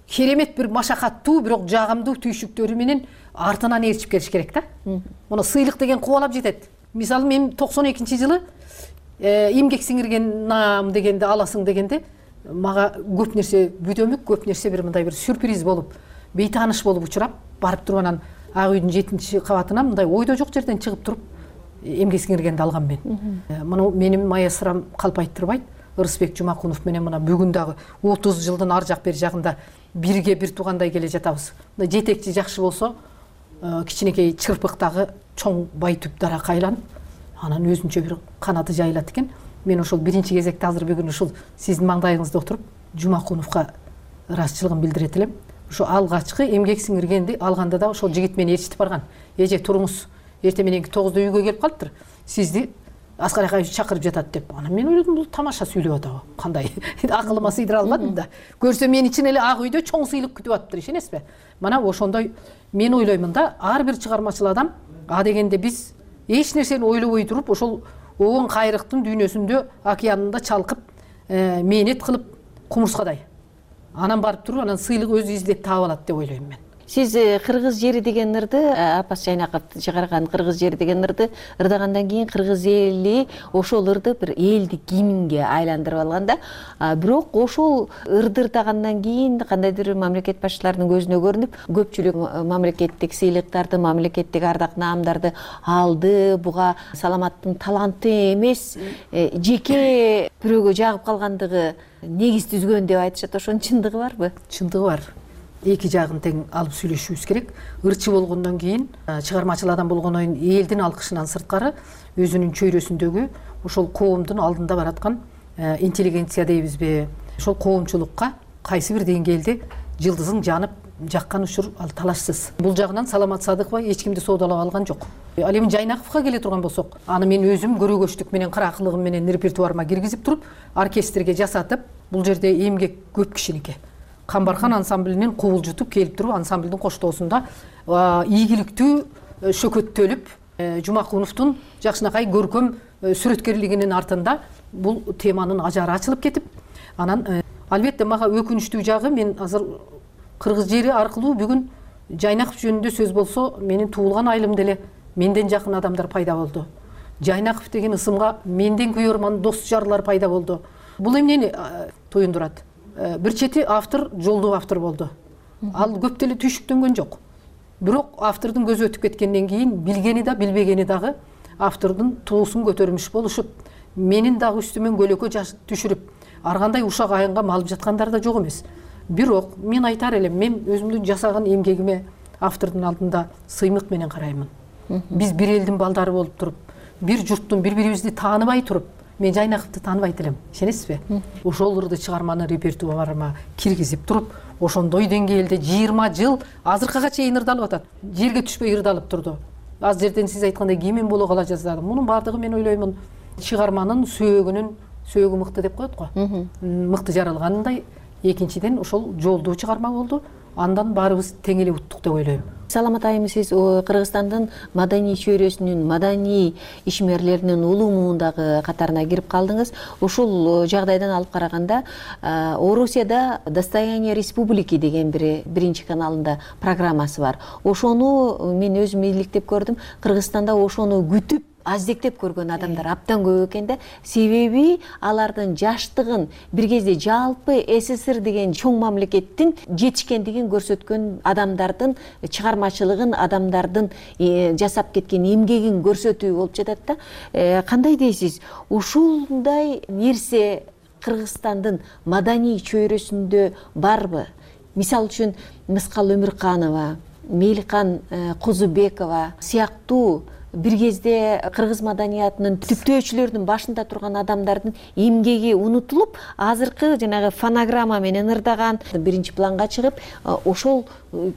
керемет бир машакаттуу, бирок жагымдуу түйшүктөрү менен артынан ээрчип келиш керек да. Муну сыйлык деген кубалап жетет. Мисалы мен токсон экинчи жылы эмгек сиңирген наам дегенди аласың дегенде мага көп нерсе бүдөмүк, көп нерсе бир мындай бир сюрприз болуп, бейтааныш болуп учурап, барып туруп анан Ак үйдүн жетинчи кабатынан мындай ойдо жок жерден чыгып туруп эмгек сиңиргенди алгам мен. Муну менин маэстром калп айттырбайт. Ырысбек Жумакунов менен мына бүгүн дагы отуз жылдын ар жак бери жагында бирге бир туугандай келе жатабыз. Мына жетекчи жакшы болсо, кичинекей чырпыктагы чоң бай түп дарак айланып, анан өзүнчө бир канаты жайылат экен. Мен ошол биринчи кезекте азыр бүгүн ушул сиздин маңдайыңызда отуруп Жумакуновго ыраазычылыгын билдирет элем. Ошо алгачкы эмгек сиңиргенди алганда да ошол жигит мени ээрчитип барган. Эже туруңуз, эртең мененки тогузда үйгө келип калыптыр. Сизди Аскар Акаевич чакырып жатат деп. Анан мен ойлодум, бул тамаша сүйлөп атабы? Кандай? Акылыма сыйдыра албадым да. Көрсө мен үчүн эле Ак үйдө чоң сыйлык күтүп атыптыр, ишенесизби? Мана ошондой мен ойлоймун да, ар бир чыгармачыл адам а дегенде биз эч нерсени ойлобой туруп, ошол оон кайрыктын дүйнөсүндө, океанында чалкып, мээнет кылып кумурскадай. Анан барып туруп, анан сыйлык өзү издеп таап алат деп ойлойм мен. Сиз Кыргыз жери деген ырды, Апас Жайнаков чыгарган Кыргыз жери деген ырды ырдагандан кийин кыргыз эли ошол ырды бир элдик гимнге айландырып алган да. Бирок ошол ырды ырдагандан кийин кандайдыр мамлекет башчыларынын көзүнө көрүнүп, көпчүлүк мамлекеттик сыйлыктарды, мамлекеттик ардак наамдарды алды. Буга Саламаттын таланты эмес, жеке бирөөгө жагып калгандыгы негиз түзгөн деп айтышат. Ошонун чындыгы барбы? Чындыгы бар. Эки жагын тең алып сүйлөшүбүз керек. Ырчы болгондон кийин, чыгармачыл адам болгондон кийин элдин алкышынан сырткары өзүнүн чөйрөсүндөгү ошол коомдун алдында бараткан интеллигенция дейбизби, ошол коомчулукка кайсы бир деңгээлде жылдызың жанып жаккан учур ал талашсыз. Бул жагынан Саламат Садыкова эч кимди соодалап алган жок. Ал эми Жайнаковго келе турган болсок, аны мен өзүм көрөгөчтүк менен, кыракылыгым менен репертуарыма киргизип туруп, оркестрге жасатып, бул жерде эмгек көп кишиники. Камбархан ансамблинин кубулжутуп келип туруп, ансамблдин коштоосунда ийгиликтүү шөкөттөлүп, Жумакуновдун жакшынакай көркөм сүрөткерлигинин артында бул теманын ажары ачылып кетип, анан албетте мага өкүнүчтүү жагы, мен азыр Кыргыз жери аркылуу бүгүн Жайнаков жөнүндө сөз болсо, менин туулган айылымда эле менден жакын адамдар пайда болду. Жайнаков деген ысымга менден күйөрман дос жарлар пайда болду. Бул эмнени туюндурат? Бир чети автор жолдуу автор болду. Ал көп деле түйшүктөнгөн жок. Бирок автордун көзү өтүп кеткенден кийин билгени да, билбегени дагы автордун туусун көтөрмүш болушуп, менин дагы үстүмөн көлөкө түшүрүп, ар кандай ушак айынга малып жаткандар да жок эмес. Бирок мен айтар элем, мен өзүмдүн жасаган эмгегиме автордун алдында сыймык менен караймын. Биз бир элдин балдары болуп туруп, бир журттун бири-бирибизди тааныбай туруп, мен Жайнаковду тааныбайт элем, ишенесизби? Ошол ырды чыгарманы репертуарыма киргизип туруп, ошондой деңгээлде жыйырма жыл азыркыга чейин ырдалып атат. Жерге түшпөй ырдалып турду. Az жерден сиз айткандай кийимен боло кала жаздадым. Мунун баардыгы мен ойлоймун, чыгарманын сөөгүнүн сөөгү мыкты деп коет го. Мыкты жаралгандай, экинчиден ошол жолдуу чыгарма болду. Андан баарыбыз тең эле уттук деп ойлойм. Саламат айым, сиз Кыргызстандын маданий чөйрөсүнүн, маданий ишмерлеринин улумундагы катарына кирип калдыңыз. Ушул жагдайдан алып караганда, Орусияда Достояние республики деген бир биринчи каналында программасы бар. Ошону мен өзүм иликтеп көрдүм. Кыргызстанда ошону күтүп аздектеп көргөн адамдар абдан көп экен да. Себеби алардын жаштыгын бир кезде жалпы СССР деген чоң мамлекеттин жетишкендигин көрсөткөн адамдардын чыгармачылыгын, адамдардын жасап кеткен эмгегин көрсөтүү болуп жатат да. Кандай дейсиз? Ушундай нерсе Кыргызстандын маданий чөйрөсүндө барбы? Мисал үчүн Мыскал Өмүрканова, Меликан Козубекова сыяктуу бир кезде кыргыз маданиятынын түптөөчүлөрүнүн башында турган адамдардын эмгеги унутулуп, азыркы жанагы фонограмма менен ырдаган биринчи планга чыгып, ошол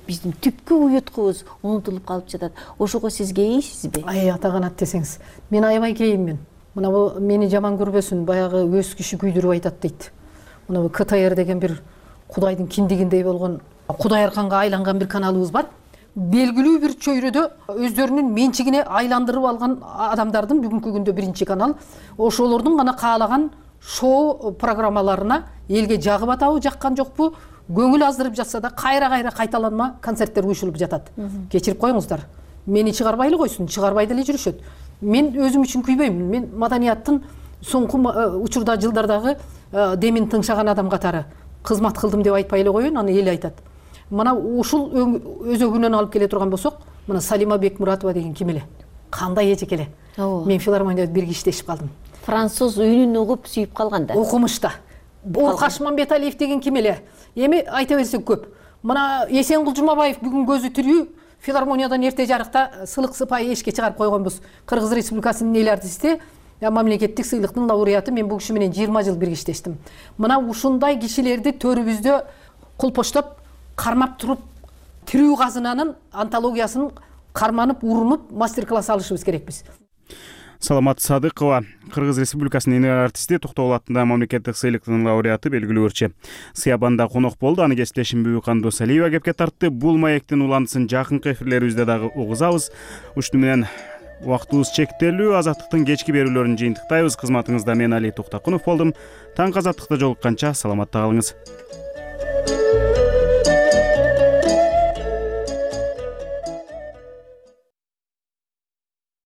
биздин түпкү уюткубуз унутулуп калып жатат. Ошого сиз кейисизби? Ай, атаганат десеңиз. Мен аябай кейиммин. Мына бул мени жаман көрбөсүн, баягы өз киши күйдүрүп айтат дейт. Мына КТР деген бир Кудайдын киндигиндей болгон, Кудай арканга айланган бир каналыбыз бар. белгилүү бир чөйрөдө өздөрүнүн менчигине айландырып алган адамдардын бүгүнкү күндө биринчи канал ошолордун гана каалаган шоу программаларына элге жагып атабы жаккан жокпу көңүл аздырып жатса да кайра кайра кайталанма концерттер уюшулуп жатат. Кечирип коюңуздар, мени чыгарбайлы койсун, чыгарбай деле жүрүшөт. Мен өзүм үчүн күйбөйм. Мен маданияттын соңку учурда жылдардагы демин тыңшаган адам катары кызмат кылдым деп айтпай эле коеюн, аны эл айтат. Мына ушул өзөгүнөн алып келе турган болсок, мына Салима Бекмуратова деген ким эле? Кандай эжек эле? Мен филармонияда бирге иштешип калдым. Француз үнүн угуп сүйүп калган да. Окумушта. Бул Кашманбеталиев деген ким эле? Эми айта берсек көп. Мына Эсенгул Жумабаев бүгүн көзү тирүү филармониядан эрте жарыкта сылык сыпайы эшикке чыгарып койгонбуз. Кыргыз Республикасынын эл артисти, мамлекеттик сыйлыктын лауреаты. Мен бул киши менен жыйырма жыл бирге иштештим. Мына ушундай кишилерди төрүбүздө кулпоштоп кармап туруп тирүү казынанын антологиясын карманып, урунуп мастер-класс алышыбыз керекпиз. Саламат Садыкова, Кыргыз Республикасынын эл артисти, Токтогул атындагы мамлекеттик сыйлыктын лауреаты, белгилүү ырчы. Сыябанда конок болду. Аны кесиптешим Бүбүкандуу Салиева кепке тартты. Бул маектин уландысын жакынкы эфирлерибизде дагы угузабыз. Ушуну менен убактыбыз чектелүү. Азаттыктын кечки берүүлөрүн жыйынтыктайбыз. Кызматыңызда мен Али Токтокунов болдум. Таң азаттыкта жолукканча саламатта калыңыз.